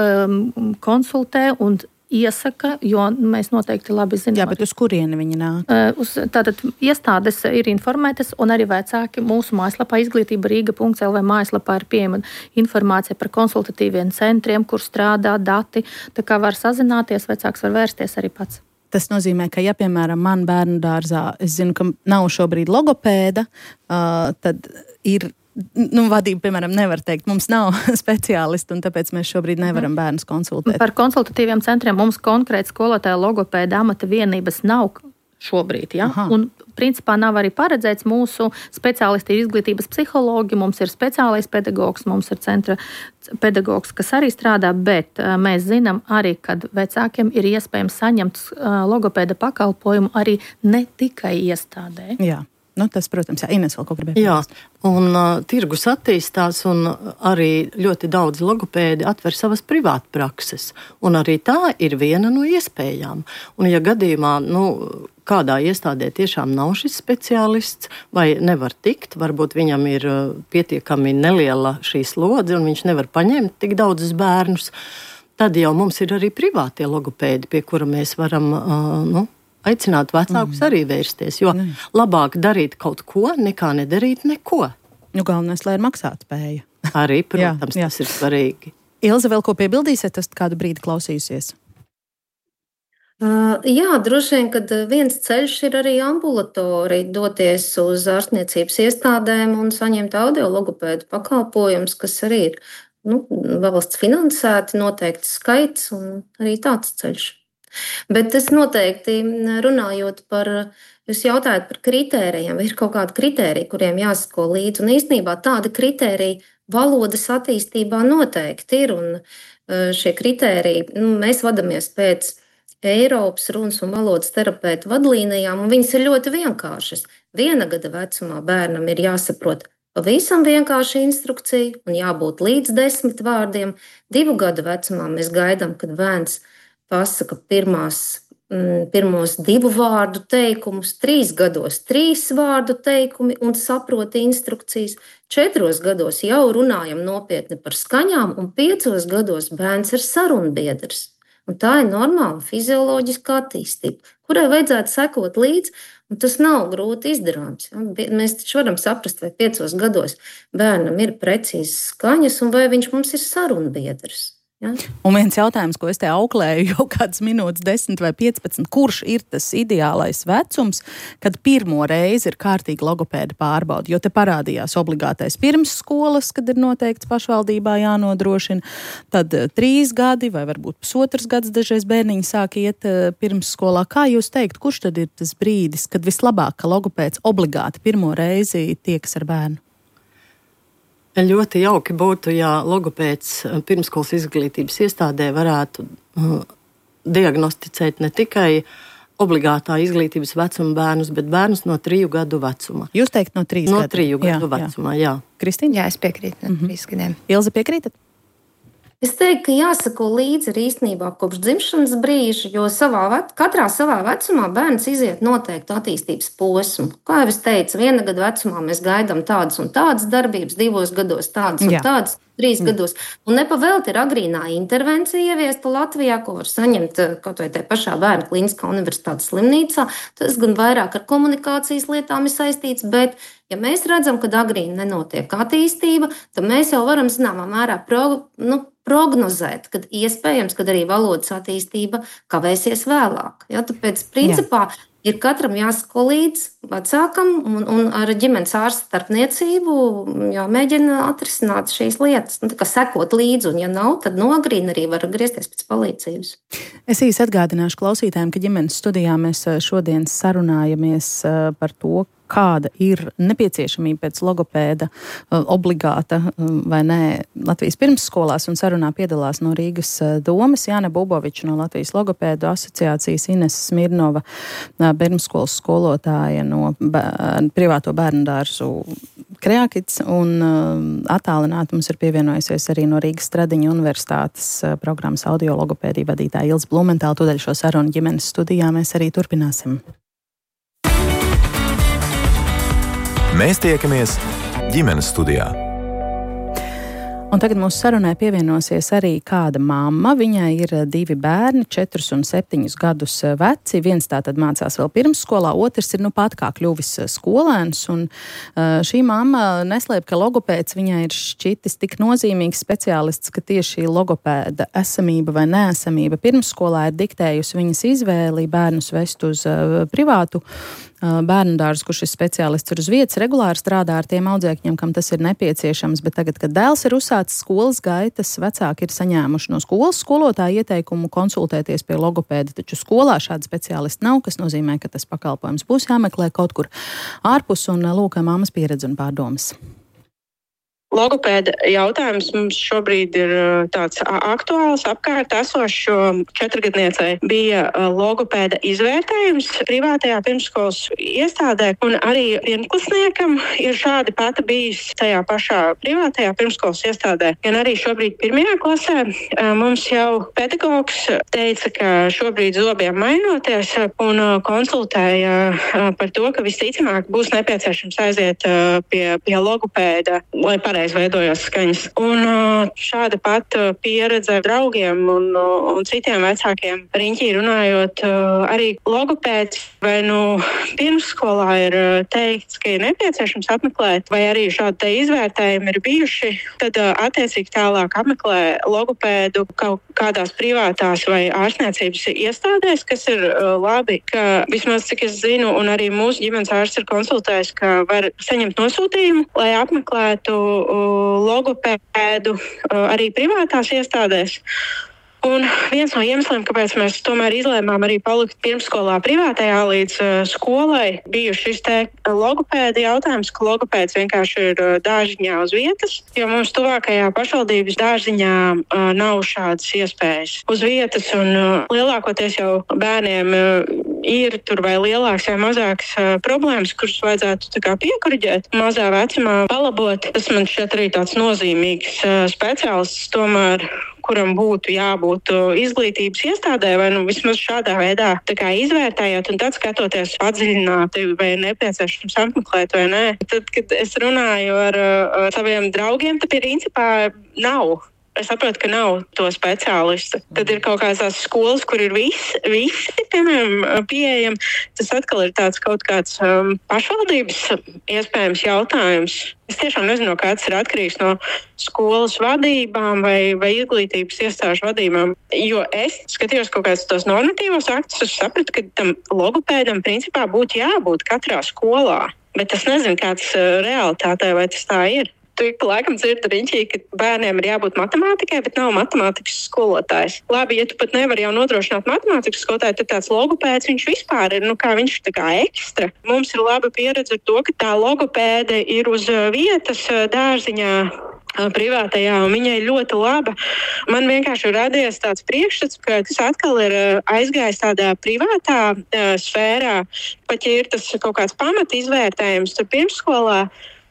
konsultē un iesaka, jo mēs noteikti labi zinām. Jā, bet uz kurieni viņi nāk? Uz, tātad iestādes ir informētas, un arī vecāki mūsu mājaslapā izglītība rīga punkts el vē mājaslapā ir pieejama informācija par konsultatīviem centriem, kur strādā dati, tā kā var sazināties, vecāks var vērsties arī pats. Tas nozīmē, ka, ja, piemēram, man bērnu dārzā, es zinu, ka nav šobrīd logopēda, uh, tad ir Nu, vadība, piemēram, nevar teikt, mums nav speciālisti, un tāpēc mēs šobrīd nevaram bērnus konsultēt. Par konsultatīviem centriem mums konkrēti skolotāja logopēda amata vienības nav šobrīd, ja? Un principā nav arī paredzēts. Mūsu speciālisti ir izglītības psihologi, mums ir speciālais pedagogs, mums ir centra pedagogs, kas arī strādā, bet mēs zinām arī, kad vecākiem ir iespējams saņemt logopēda pakalpojumu arī ne tikai iestādē. Jā. Nu, tas, protams, jā, Ines vēl kaut gribēja. Jā, un uh, tirgus attīstās, un arī ļoti daudz logopēdi atver savas privātprakses, un arī tā ir viena no iespējām. Un ja gadījumā, nu, kādā iestādē tiešām nav šis speciālists, vai nevar tikt, varbūt viņam ir uh, pietiekami neliela šī slodze, un viņš nevar paņemt tik daudzus bērnus, tad jau mums ir arī privātie logopēdi, pie kura mēs varam, uh, nu, aicināt vecākus mm. arī vērsties, jo mm. labāk darīt kaut ko, nekā nedarīt neko. Nu, galvenais, lai ir maksātspēja. Arī, protams, jā, jā. Tas ir svarīgi. Ilze, vēl ko piebildīsiet, tas kādu brīdi klausījusies? Uh, jā, droši vien, kad viens ceļš ir arī ambulatori, doties uz ārstniecības iestādēm un saņemt audiologopēdu pakalpojumus, kas arī ir, nu, valsts finansēti, noteikts skaits un arī tāds ceļš. Bet es noteikti runājot par, jūs jautājat par kritērijiem, vai ir kaut kādi kritēriji, kuriem jāsako līdzi, un īstenībā tādi kritēriji valodas attīstībā noteikti ir, un šie kritēriji, nu, mēs vadamies pēc Eiropas runas un valodas terapeitu vadlīnijām, un viņas ir ļoti vienkāršas. Viena gada vecumā bērnam ir jāsaprot pavisam vienkārši instrukcija un jābūt līdz desmit vārdiem. Divu gadu vecumā mēs gaidām, kad bērns pasaka pirmās, pirmos divu vārdu teikumus, trīs gados trīs vārdu teikumi un saprot instrukcijas. Četros gados jau runājam nopietni par skaņām, un piecos gados bērns ir sarunbiedrs. Un tā ir normāla fizioloģiska attīstība, kurai vajadzētu sekot līdzi, un tas nav grūti izdarāms. Mēs taču varam saprast, vai piecos gados bērnam ir precīzas skaņas, un vai viņš mums ir sarunbiedrs. Ja? Un viens jautājums, ko es te auklēju jau kādas minūtes, desmit vai piecpadsmit, kurš ir tas ideālais vecums, kad pirmo reizi ir kārtīgi logopēda pārbauda, jo te parādījās obligātais pirmsskolas, kad ir noteikts pašvaldībā jānodrošina, tad trīs gadi vai varbūt pusotras gads dažreiz bērniņi sāk iet pirmsskolā. Kā jūs teikt, kurš tad ir tas brīdis, kad vislabāk, ka logopēds obligāti pirmo reizi tiekas ar bērnu? Ļoti jauki būtu, ja logopēds pirmsskolas izglītības iestādē varētu uh, diagnosticēt ne tikai obligātā izglītības vecuma bērnus, bet bērnus no triju gadu vecuma. Jūs teikt no trīs no gadu? No triju gadu jā, vecumā, jā. jā. Kristīna? Jā, es piekrītu no mm-hmm. trīs gadiem. Ilze, piekrītat? Es teiktu, ka jāsako līdzi arī īstenībā kopš dzimšanas brīža, jo savā, katrā savā vecumā bērns iziet noteiktu attīstības posmu. Kā jau es teicu, viena gada vecumā mēs gaidām tādas un tādas darbības, divos gados tādas un Jā. tādas, trīs Jā. gados. Un nepavēlti ir agrīnā intervencija ieviesta Latvijā, ko var saņemt kaut vai tajā pašā Bērnu klīniskā universitātes slimnīcā. Tas gan vairāk ar komunikācijas lietām ir saistīts, bet ja mēs redzam, ka agrīni nenotiek attīstība, tad mēs jau varam zināmā mērā pro, nu, prognozēt, kad iespējams, kad arī valodas attīstība kavēsies vēlāk. Ja, tāpēc, principā, Jā. ir katram jāsako līdz vecākam un, un ar ģimenes ārsta starpniecību jāmēģina atrisināt šīs lietas. Nu, tā kā sekot līdzi, un ja nav, tad no agrīna arī var griezties pēc palīdzības. Es īsi atgādināšu klausītājiem, ka ģimenes studijā mēs šodien sarunājamies par to, kāda ir nepieciešamība pēc logopēda obligāta vai nē Latvijas pirmsskolās, un sarunā piedalās no Rīgas domes Jāne Buboviča no Latvijas logopēdu asociācijas, Ines Smirnova, pirmsskolas skolotāja no bērn, privāto bērnu dārzu Kreakits, un attālināti mums ir pievienojusies arī no Rīgas Stradiņa universitātes programmas audiologopēdija vadītāja Ilze Blumentāla. Tūdaļ šo sarunu ģimenes studijā mēs arī turpināsim. Mēs tiekamies ģimenes studijā. Un tagad mūsu sarunai pievienosies arī kāda mamma. Viņai ir divi bērni, četrus un septiņus gadus veci. Viens tātad mācās vēl pirmsskolā, otrs ir nu pat kā kļuvis skolēns. Un uh, šī mamma neslēp, ka logopēds viņai ir šķitis tik nozīmīgs speciālists, ka tieši logopēda esamība vai neesamība pirmsskolā ir diktējusi viņas izvēli bērnus vest uz uh, privātu bērnu dārzu, kur šis speciālists ir uz vietas, regulāri strādā ar tiem audzēkņiem, kam tas ir nepieciešams, bet tagad, kad dēls ir uzsācis skolas gaitas, vecāki ir saņēmuši no skolas skolotāja ieteikumu konsultēties pie logopēda, taču skolā šāda speciālista nav, kas nozīmē, ka tas pakalpojums būs jāmeklē kaut kur ārpus, un lūk, mammas pieredze un pārdomas. Logopēda jautājums mums šobrīd ir tāds aktuāls, apkārt esošs, jo četrgadniecei bija logopēda izvērtējums privātajā pirmsskolas iestādē, un arī pirmklasniekam ir šādi pati bijis tajā pašā privātajā pirmsskolas iestādē. Gan arī šobrīd pirmajā klasē mums jau pedagogs teica, ka šobrīd zobiem mainoties un konsultēja par to, ka visticamāk būs nepieciešams aiziet pie, pie logopēda, lai pareizi veidojās skaņas. Un šāda pat pieredze draugiem un, un citiem vecākiem riņķī runājot, arī logopēds vai nu pirmsskolā ir teikts, ka ir nepieciešams apmeklēt, vai arī šādi te izvērtējumi ir bijuši, tad attiecīgi tālāk apmeklē logopēdu kaut kādās privātās vai ārstniecības iestādēs, kas ir labi, ka vismaz cik es zinu, un arī mūsu ģimenes ārsts ir konsultējis, ka var saņemt nosūtījumu, lai apmeklētu logopēdu arī privātās iestādēs. Un viens no iemesliem, kāpēc mēs tomēr izlēmām arī palikt pirmsskolā privātajā līdz uh, skolai, bija šis te logopēda jautājums, ka logopēds vienkārši ir uh, dārziņā uz vietas, jo mums tuvākajā pašvaldības dārziņā uh, nav šādas iespējas uz vietas, un uh, lielākoties jau bērniem uh, ir tur vai lielāks vai mazāks uh, problēmas, kuras vajadzētu tā kā piekuriģēt, mazā vecumā palabot. Tas man šķiet arī tāds nozīmīgs uh, speciālists tomēr, kuram būtu jābūt izglītības iestādē, vai nu vismaz šādā veidā tā kā izvērtējot un tad skatoties padziļināti, vai ir nepieciešams apmeklēt vai nē. Tad, kad es runāju ar, ar saviem draugiem, tad principā nav. Es saprotu, ka nav to speciālistu. Tad ir kaut kādas tās skolas, kur ir visi, visi piemēram, pieejami. Tas atkal ir tāds kaut kāds um, pašvaldības iespējams jautājums. Es tiešām nezinu, kā tas ir atkarīgs no skolas vadībām vai, vai izglītības iestāžu vadībām. Jo es skatījos kaut kādus tos normatīvos aktus, es sapratu, ka tam logopēdam principā būtu jābūt katrā skolā. Bet es nezinu, kā tas realitātē, vai tas tā ir. Tu laikam dzirdi riņķī, ka bērniem ir jābūt matemātikai, bet nav matemātikas skolotājs. Labi, ja tu pat nevari jau nodrošināt matemātikas skolotāju, tad tāds logopēds viņš vispār ir, nu kā viņš ir tā kā ekstra. Mums ir laba pieredze ar to, ka tā logopēde ir uz vietas dārziņā privātajā, un viņa ir ļoti laba. Man vienkārši ir radies tāds priekšstats, ka tas atkal ir aizgājis tādā privātā uh, sfērā, pat ja ir tas kaut kāds pamata izvērtējums tur pirmsskolā,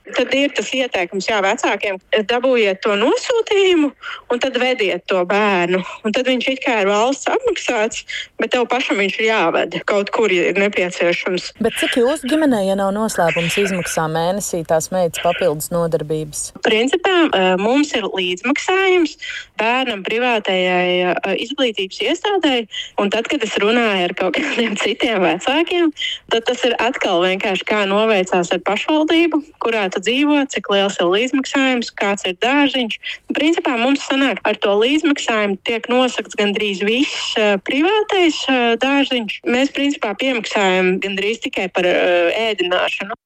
tad ir tas ieteikums, jā, vecākiem, dabūjiet to nosūtījumu un tad vediet to bērnu. Un tad viņš it kā ir valsts apmaksāts, bet tev pašam viņš ir jāved. Kaut kur ir nepieciešams. Bet cik jūsu ģimenē, ja nav noslēpums, izmaksā mēnesī tās meitas papildus nodarbības? Principā mums ir līdzmaksājums bērnam privātajai izglītības iestādēji, un tad, kad es runāju ar kaut kādiem citiem vecākiem, tad tas ir atkal vienkārši kā noveicās ar pašvaldību, kurā dzīvo, cik liels ir līdzmaksājums, kāds ir dārziņš. Principā mums sanāk ar to līdzmaksājumu tiek nosakts gandrīz viss uh, privātais uh, dārziņš. Mēs principā piemaksājam gandrīz tikai par uh, ēdināšanu.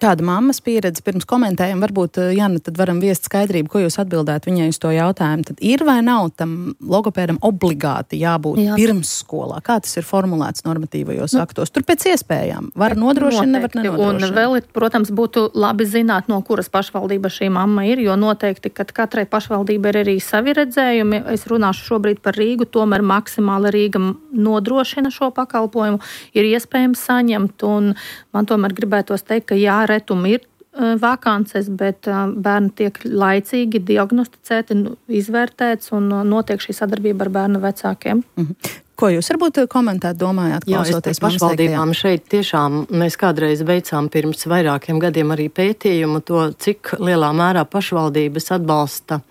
Tāda mammas pieredze pirms komentējam, varbūt, Jana, tad varam viest skaidrību, ko jūs atbildētu viņai uz to jautājumu. Tad ir vai nav tam logopēdam obligāti jābūt Jā. pirmsskolā? Kā tas ir formulēts normatīvajos nu, aktos? Tur pēc iespējām. Var nodrošināt, nevar nenodrošināt. Un vēl, protams, būtu labi zināt, no kuras pašvaldība šī mamma ir, jo noteikti, kad katrai pašvaldība ir arī savi redzējumi. Es runāšu šobrīd par Rīgu, tomēr maksimāli Rīga nodrošina šo pakalpojumu, ir iespējams saņemt, un man tomēr gribētos teikt, ka jā, retumi ir uh, vakances, bet uh, bērni tiek laicīgi diagnosticēti, izvērtēts un uh, notiek šī sadarbība ar bērnu vecākiem. Mm-hmm. Ko jūs varbūt komentēt, domājāt, klausoties Jā, pašvaldībām šeit tiešām mēs kādreiz veicām pirms vairākiem gadiem arī pētījumu to, cik lielā mērā pašvaldības atbalsta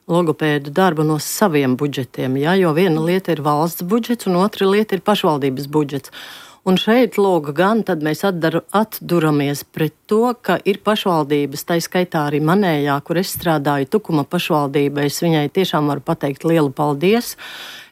logopēdu darbu no saviem budžetiem, ja? Jo viena lieta ir valsts budžets un otra lieta ir pašvaldības budžets. Un šeit, lūk, gan tad mēs atdaru, atduramies pret to, ka ir pašvaldības, tai skaitā arī manējā, kur es strādāju, Tukuma pašvaldība, es viņai tiešām varu pateikt lielu paldies,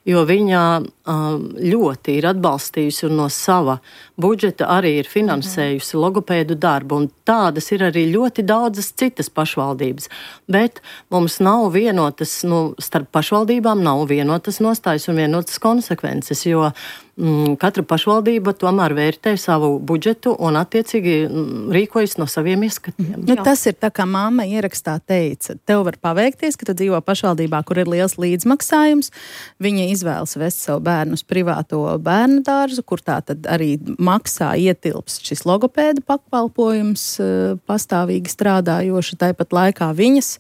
jo viņa ļoti ir atbalstījusi un no sava budžeta arī ir finansējusi mm-hmm. logopēdu darbu, un tādas ir arī ļoti daudzas citas pašvaldības. Bet mums nav vienotas, nu, starp pašvaldībām nav vienotas nostājas un vienotas konsekvences, jo mm, katra pašvaldība tomēr vērtē savu budžetu un attiecīgi mm, rīkojas no saviem ieskatiem. Nu, tas ir tā, kā mamma ierakstā teica. Tev var paveikties, ka tu dzīvo pašvaldībā, kur ir liels līdzmaksājums. Viņa izvēlas vest savu bērnu uz privāto bērnu dārzu, kur tā tad arī maksā ietilps šis logopēda pakalpojums pastāvīgi strādājoši. Tāpat laikā viņas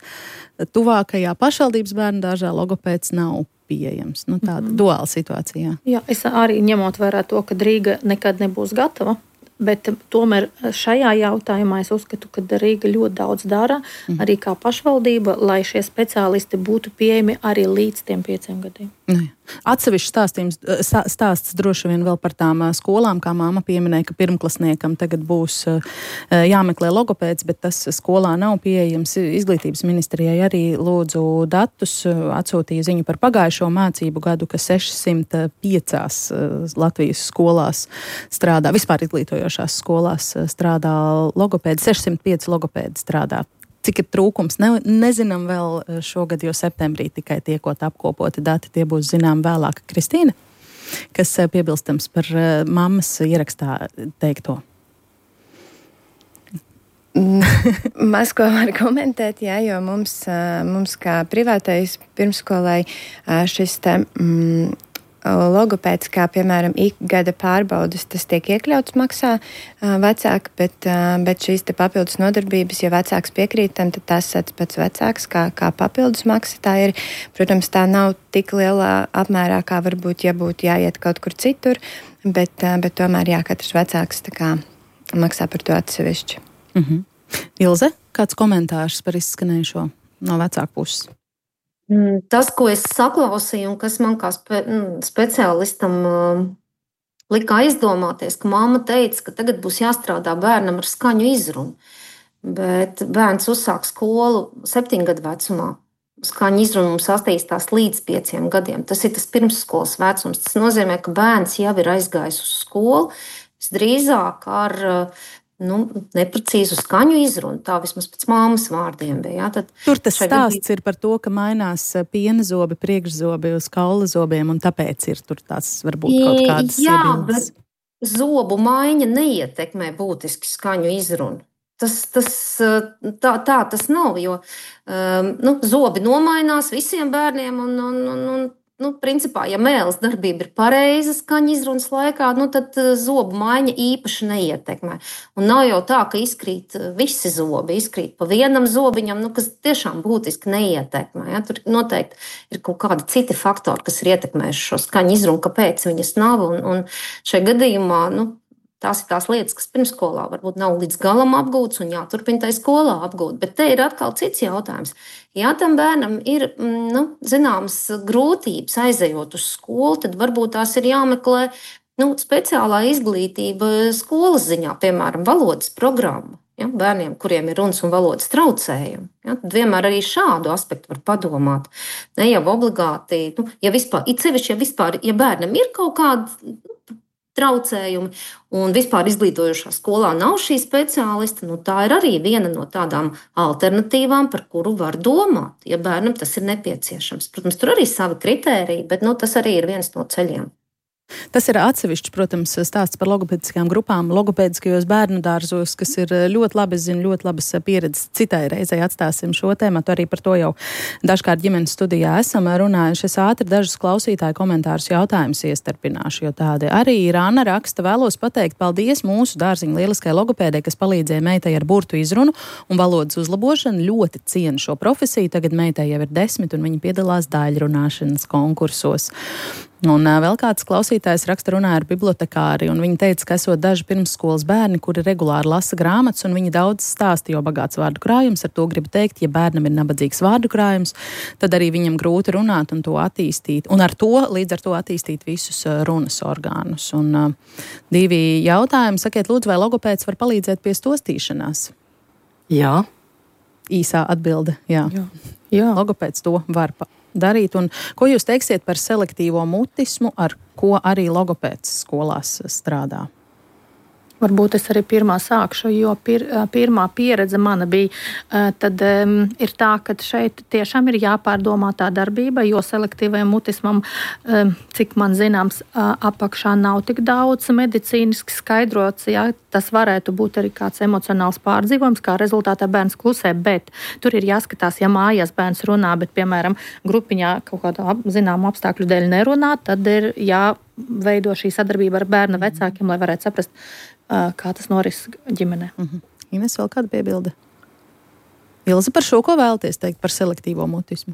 tuvākajā pašvaldības bērnu dārzā logopēds nav pieejams. Nu, tāda mm-hmm. duāla situācija. Jā, es arī ņemot vērā to, ka Rīga nekad nebūs gatava, bet tomēr šajā jautājumā es uzskatu, ka Rīga ļoti daudz dara, mm. arī kā pašvaldība, lai šie speciālisti būtu pieejami arī līdz tiem pieciem gadiem. Ne. Atsevišķi stāstījums, stāsts droši vien vēl par tām skolām, kā māma pieminēja, ka pirmklasniekam tagad būs jāmeklē logopēds, bet tas skolā nav pieejams. Izglītības ministrijai arī lūdzu datus, atsūtīja ziņu par pagājušo mācību gadu, ka sešsimt piecās Latvijas skolās strādā, vispār izglītojošās skolās strādā logopēdi, sešsimt pieci logopēdi strādā. Cik ir trūkums, ne, nezinām vēl šogad, jo septembrī tikai tiekot apkopoti dati, tie būs zinām vēlāk. Kristīna, kas piebilstams par mammas ierakstā teikto? Maz ko var komentēt, jā, jo mums, mums kā privātais pirmskolai šis te... Mm, logopēds, kā piemēram ikgada pārbaudas, tas tiek iekļauts maksā vecāki, bet, bet šīs te papildus nodarbības, ja vecāks piekrītam, tad tas sats pats vecāks, kā, kā papildus maksa. Tā ir, protams, tā nav tik lielā apmērā, kā varbūt, ja būtu jāiet kaut kur citur, bet, bet tomēr, jā, katrs vecāks tā kā maksā par to atsevišķi. Mhm. Ilze, kāds komentārs par izskanējušo no vecāku puses? Tas, ko es saklausīju un kas man kā spe, speciālistam uh, lika aizdomāties, ka mamma teica, ka tagad būs jāstrādā bērnam ar skaņu izrunu. Bet bērns uzsāk skolu septiņu gadu vecumā. Skaņu izruna mums attīstās līdz pieciem gadiem. Tas ir tas pirmsskolas vecums. Tas nozīmē, ka bērns jau ir aizgājis uz skolu, visdrīzāk ar uh, Nu, neprecīzu skaņu izrunu, tā vismaz pēc māmas vārdiem bija. Jā, tad tur tas stāsts ir par to, ka mainās piena zobi, priekšzobi uz kaula zobiem, un tāpēc ir tur tās varbūt kaut kādas jā, iebildes. Bet zobu maiņa neietekmē būtiski skaņu izrunu. Tas, tas, tā, tā tas nav, jo um, nu, zobi nomainās visiem bērniem un, un, un, un Nu, principā, ja mēles darbība ir pareiza skaņa izrunas laikā, nu, tad zobu maiņa īpaši neietekmē. Un nav jau tā, ka izkrīt visi zobi, izkrīt pa vienam zobiņam, nu, kas tiešām būtiski neietekmē. Ja? Tur noteikti ir kaut kādi citi faktori, kas ir ietekmējuši šo skaņu izrunu, kāpēc viņas nav. Un, un šajā gadījumā, nu, tās ir tās lietas, kas pirmsskolā varbūt nav līdz galam apgūtas un jāturpina tai skolā apgūt. Bet te ir atkal cits jautājums. Ja tam bērnam ir nu, zināmas grūtības aizejot uz skolu, tad varbūt tās ir jāmeklē nu, speciālā izglītība skolas ziņā, piemēram, valodas programma. Ja, bērniem, kuriem ir runas un valodas traucējumi. Ja, tad vienmēr arī šādu aspektu var padomāt. Ne jau obligāti, nu, ja vispār, it sevišķi, ja vispār, ja bērnam ir kaut kāda traucējumi un vispār izglītojošā skolā nav šī speciālista, nu tā ir arī viena no tādām alternatīvām, par kuru var domāt, ja bērnam tas ir nepieciešams. Protams, tur arī savi kritēriji, bet nu, tas arī ir viens no ceļiem. Tas ir atsevišķs, protams, stāsts par logopēdiskām grupām, logopēdiskajos bērnu dārzos, kas ir ļoti labi, es zinu, ļoti labas pieredzes. Citai reizei atstāsim šo tēmatu, arī par to jau dažkārt ģimenes studijā esam runājuši. Es ātri dažus klausītāju komentārus jautājumus iestarpināšu, jo tādi arī ir. Anna raksta, vēlos pateikt paldies mūsu dārziņa lieliskai logopēdei, kas palīdzēja meitai ar burtu izrunu un valodas uzlabošanu. Ļoti cienu šo profesiju, tagad meitai jau ir desmit un viņa piedalās daļrunāšanas konkursos. Un vēl kāds klausītājs raksta runāja ar bibliotekāri, un viņa teica, ka esot daži pirmsskolas bērni, kuri regulāri lasa grāmatas, un viņi daudz stāsta, jo bagāts vārdu krājums. Ar to gribu teikt, ja bērnam ir nabadzīgs vārdu krājums, tad arī viņam grūti runāt un to attīstīt. Un ar to, līdz ar to attīstīt visus runas orgānus. Un uh, divi jautājumi. Sakiet, lūdzu, vai logopēds var palīdzēt pie stostīšanās? Jā. Īsā atbilde, jā. Jā. Jā. Logopēds to var pa- darīt. Un ko jūs teiksiet par selektīvo mutismu, ar ko arī logopēds skolās strādā? Varbūt es arī pirmā sākšu, jo pir, pirmā pieredze mana bija, tad um, ir tā, ka šeit tiešām ir jāpārdomā tā darbība, jo selektīvajam mutismam, um, cik man zināms, apakšā nav tik daudz medicīniski skaidrots, jā, tas varētu būt arī kāds emocionāls pārdzīvojums, kā rezultātā bērns klusē, bet tur ir jāskatās, ja mājās bērns runā, bet, piemēram, grupiņā kaut kādā zināmu apstākļu dēļ nerunā, tad ir jāveido šī sadarbība ar bērna vecākiem, lai varētu saprast, kā tas noris ģimenē. Uh-huh. Ines, vēl kāda piebilde? Ilze, par šo ko vēlaties teikt par selektīvo mutismu?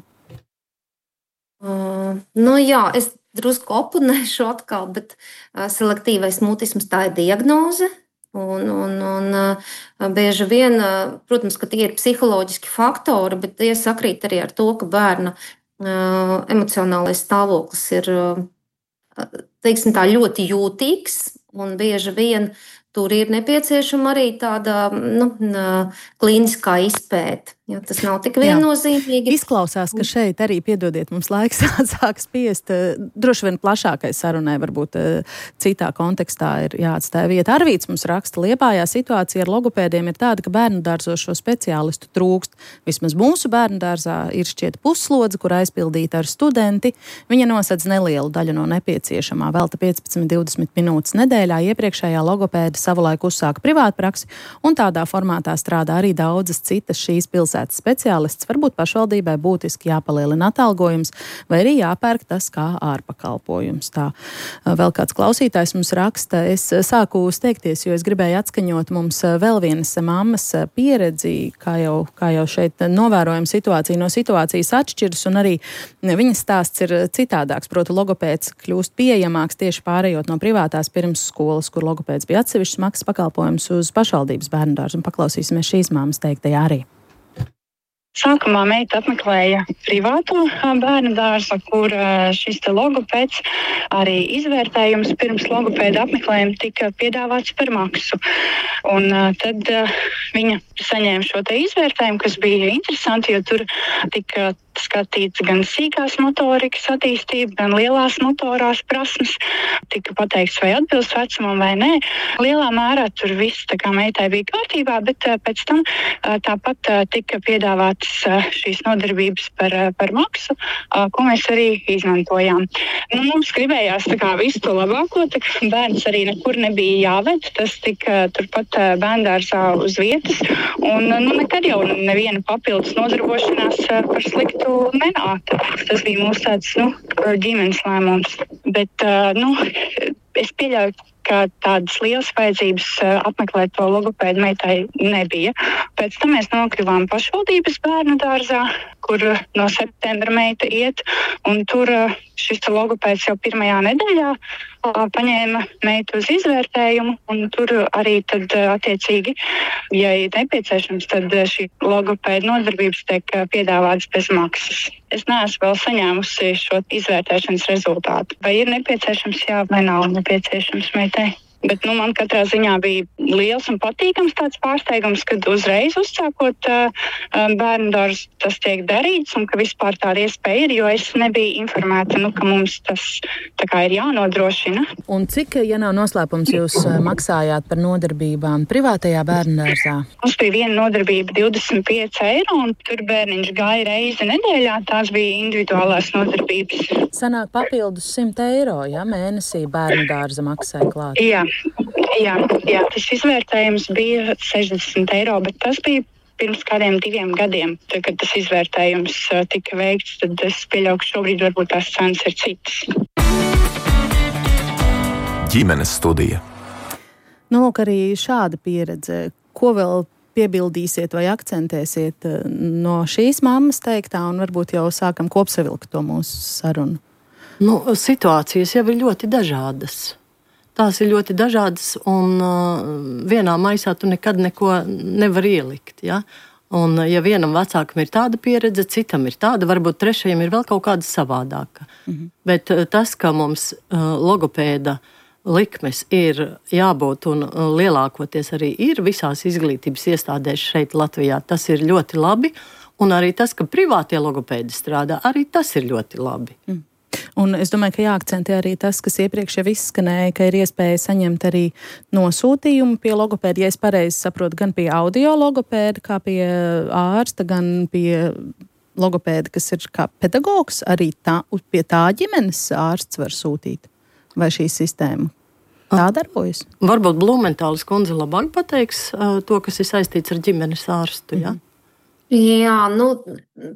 Uh, nu jā, es drusku oponēšu atkal, bet uh, selektīvais mutisms tā ir diagnoze. Un, un, un uh, bieži vien, uh, protams, ka tie ir psiholoģiski faktori, bet tie sakrīt arī ar to, ka bērna uh, emocionālais stāvoklis ir uh, teiksim tā, ļoti jūtīgs un bieži vien tur ir nepieciešama arī tāda nu, klīniskā izpēte. Ja, tas nav tik viennozīmīgi. Izklausās, ka šeit arī, piedodiet, mums laiks sāk spiest. Droši vien plašākai sarunai varbūt citā kontekstā ir jāatstāja vieta. Arvīts mums raksta, Liepājā situācija ar logopēdiem ir tāda, ka bērnu dārzos šo speciālistu trūkst. Vismaz mūsu bērnu dārzā ir šķiet puslodze, kur aizpildīta ar studenti. Viņa nosedz nelielu daļu no nepieciešamā, velta piecpadsmit līdz divdesmit minūtes nedēļā. Iepriekšējā logopēda savulaik uzsāka privātpraksi, un tādā formātā strādā arī daudzas citas šīs pilsētas speciālists. Varbūt pašvaldībai būtiski jāpalielina atalgojums, vai arī jāpērk tas kā ārpakalpojums. Tā vēl kāds klausītājs mums raksta, es sāku steigties, jo es gribēju atskaņot mums vēl vienas mammas pieredzi, kā jau, kā jau šeit novērojam situāciju no situācijas atšķiras, un arī viņas stāsts ir citādāks. Proti, logopēds kļūst pieejamāks tieši pārējot no privātās pirmsskolas, kur logopēds bija atsevišķs maksas pakalpojums, uz pašvaldības bērndārzu, un paklausīsimies šīs mammas teiktajā arī. Sākumā meita apmeklēja privāto bērnu dārzu, kur šis te logopēds, arī izvērtējums pirms logopēda apmeklējuma tika piedāvāts par maksu. Un tad viņa saņēma šo te izvērtējumu, kas bija interesanti, jo tur tika skatīts gan sīkās motorikas attīstība, gan lielās motorās prasmes. Tika pateikts, vai atbilst vecumam vai nē. Lielā mērā tur viss tā kā meitai bija kārtībā, bet pēc tam tāpat tika piedāvāts šīs nodarbības par, par maksu, ko mēs arī izmantojām. Nu, mums gribējās tā kā visu to labāko, tā kā bērns arī nekur nebija jāved, tas tika turpat bērndārzā uz vietas, un nu, nekad jau neviena papildus nodarbošanās par sliktu nenāca. Tas bija mūsu tāds, nu, ģimenes lēmums. Bet, nu, es pieļauju, ka tādas lielas vajadzības apmeklēt to logopēdu meitai nebija. Pēc tam mēs nokļuvām pašvaldības bērnu dārzā, kur no septembra meita iet, un tur šis logopēds jau pirmajā nedēļā paņēma meitu uz izvērtējumu, un tur arī tad attiecīgi, ja ir nepieciešams, tad šī logopēda nodarbības tiek piedāvātas bez maksas. Es neesmu vēl saņēmusi šo izvērtēšanas rezultātu. Vai ir nepieciešams, jā, vai nav nepieciešams meitai? Bet nu, man katrā ziņā bija liels un patīkams tāds pārsteigums, kad uzreiz uzsākot uh, bērnu dārzu tas tiek darīts un ka vispār tāda iespēja ir, jo es nebiju informēta, nu, ka mums tas tā kā ir jānodrošina. Un cik, ja nav noslēpums, jūs maksājāt par nodarbībām privātajā bērnu dārzā? Mums bija viena nodarbība divdesmit pieci eiro, un tur bērniņš gāja reizi nedēļā, tās bija individuālās nodarbības. Sanāk papildus simt eiro, ja mēnesī bērnu dārza maksāja klāt? Jā. Jā, jā, tas izvērtējums bija sešdesmit eiro, bet tas bija pirms kādiem diviem gadiem. Tad, kad tas izvērtējums tika veikts, tad es pieļauju, ka šobrīd varbūt tās cenas ir citas. Ģimenes studija. Nu, lūk, arī šāda pieredze. Ko vēl piebildīsiet vai akcentēsiet no šīs mammas teiktā, un varbūt jau sākam kopsavilkt to mūsu sarunu? Nu, situācijas jau ir ļoti dažādas. Tās ir ļoti dažādas, un uh, vienā maisā tu nekad neko nevar ielikt. Ja? Un, ja vienam vecākam ir tāda pieredze, citam ir tāda, varbūt trešajam ir vēl kaut kāda savādāka. Mm-hmm. Bet uh, tas, ka mums uh, logopēda likmes ir jābūt, un uh, lielākoties arī ir visās izglītības iestādēs šeit Latvijā, tas ir ļoti labi. Un arī tas, ka privātie logopēdi strādā, arī tas ir ļoti labi. Mm. Un es domāju, ka jāakcentē arī tas, kas iepriekš jau izskanēja, ka ir iespēja saņemt arī nosūtījumu pie logopēda, ja es pareizi saprotu, gan pie audio logopēda, kā pie ārsta, gan pie logopēda, kas ir kā pedagogs, arī tā, pie tā ģimenes ārsts var sūtīt. Vai šī sistēma tā darbojas? Varbūt Blumentāles kundze labāk pateiks uh, to, kas ir saistīts ar ģimenes ārstu, jā? Mm. Jā, nu,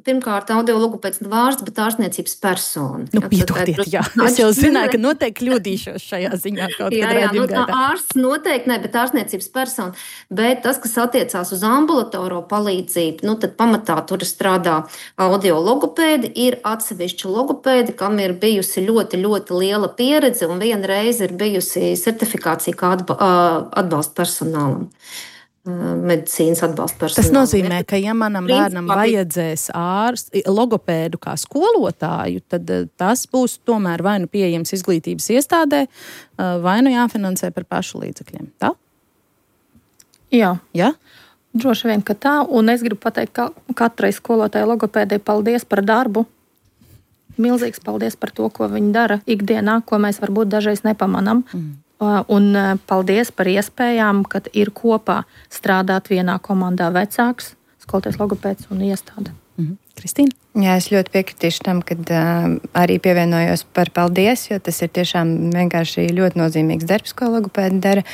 pirmkārt, audiologopēds nav ārsts, bet ārstniecības persona. Nu, piedodiet, jā. Es jau zināju, ka noteikti kļūdīšos šajā ziņā kaut jā, kad jā, redzim nu, gaitā. Ārsts noteikti ne, bet ārstniecības persona. Bet tas, kas attiecās uz ambulatoro palīdzību, nu, tad pamatā tur strādā audiologopēdi, ir atsevišķi logopēdi, kam ir bijusi ļoti, ļoti liela pieredze un viena reize ir bijusi certifikācija kā atbalsta personālam. Medicīnas atbalsta personālam. Tas nozīmē, ka ja manam bērnam vajadzēs ārstu, logopēdu kā skolotāju, tad tas būs tomēr vai nu pieejams izglītības iestādē, vai nu jāfinansē par pašu līdzekļiem. Tā? Jā. Ja? Droši vien, ka tā. Un es gribu pateikt, ka katrai skolotāja logopēdai paldies par darbu. Milzīgs paldies par to, ko viņi dara ikdienā, ko mēs varbūt dažreiz nepamanam. Mm. Un paldies par iespējām, kad ir kopā strādāt vienā komandā vecāks, skolotājs logopēds un iestāde. Mm-hmm. Kristīna? Jā, es ļoti piekritīšu tam, kad uh, arī pievienojos par paldies, jo tas ir tiešām vienkārši ļoti nozīmīgs darbs, ko logopēdi dara.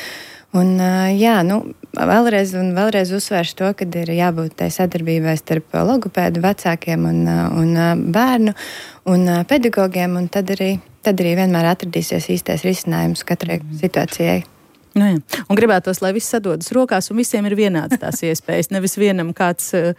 Un, uh, jā, nu, vēlreiz un vēlreiz uzsvēršu to, ka ir jābūt tai sadarbībai starp logopēdu vecākiem un, uh, un uh, bērnu un uh, pedagogiem, un tad arī tad arī vienmēr atradīsies īstais risinājums katrai situācijai. Nu, jā. Un gribētos, lai viss sadodas rokās un visiem ir vienāds tās iespējas. Nevis vienam kāds uh,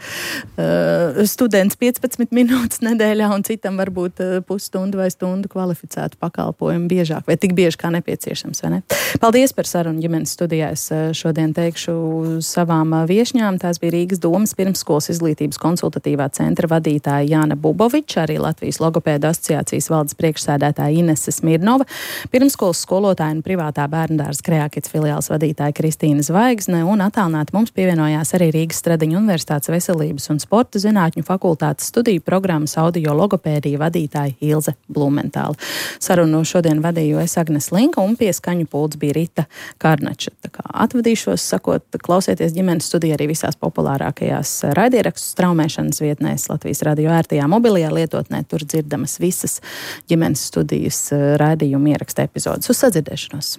students piecpadsmit minūtes nedēļā un citam varbūt uh, pusstundu vai stundu kvalificētu pakalpojumu biežāk vai tik bieži kā nepieciešams, vai ne? Paldies par sarunu ģimenes studijā. Es uh, šodien teikšu savām uh, viešņām. Tās bija Rīgas domas pirmsskolas izglītības konsultatīvā centra vadītāja Jāna Buboviča, arī Latvijas logopēdu asociācijas valdes priekšsēdētāja Inese Smirnova, pirmsskolas skolotāja un privātā bērndārza Kreākits filiāles vadītāja Kristīna Zvaigzne, un attālināti mums pievienojās arī Rīgas Stradiņu Universitātes veselības un sporta zinātņu fakultātes studiju programmas audio logopēdija vadītāja Ilze Blumentāle. Sarunu šodien vadīju es Agnes Linka, un pie skaņu pults bija Rita Karnača. Tā kā atvadīšos, sakot, klausieties ģimenes studiju arī visās populārākajās raidierakstu straumēšanas vietnēs Latvijas radio ērtajā mobilajā lietotnē. Tur dzirdamas visas ģimenes studijas raidījuma ieraksta epizodes. Uz sadzirdēšanos!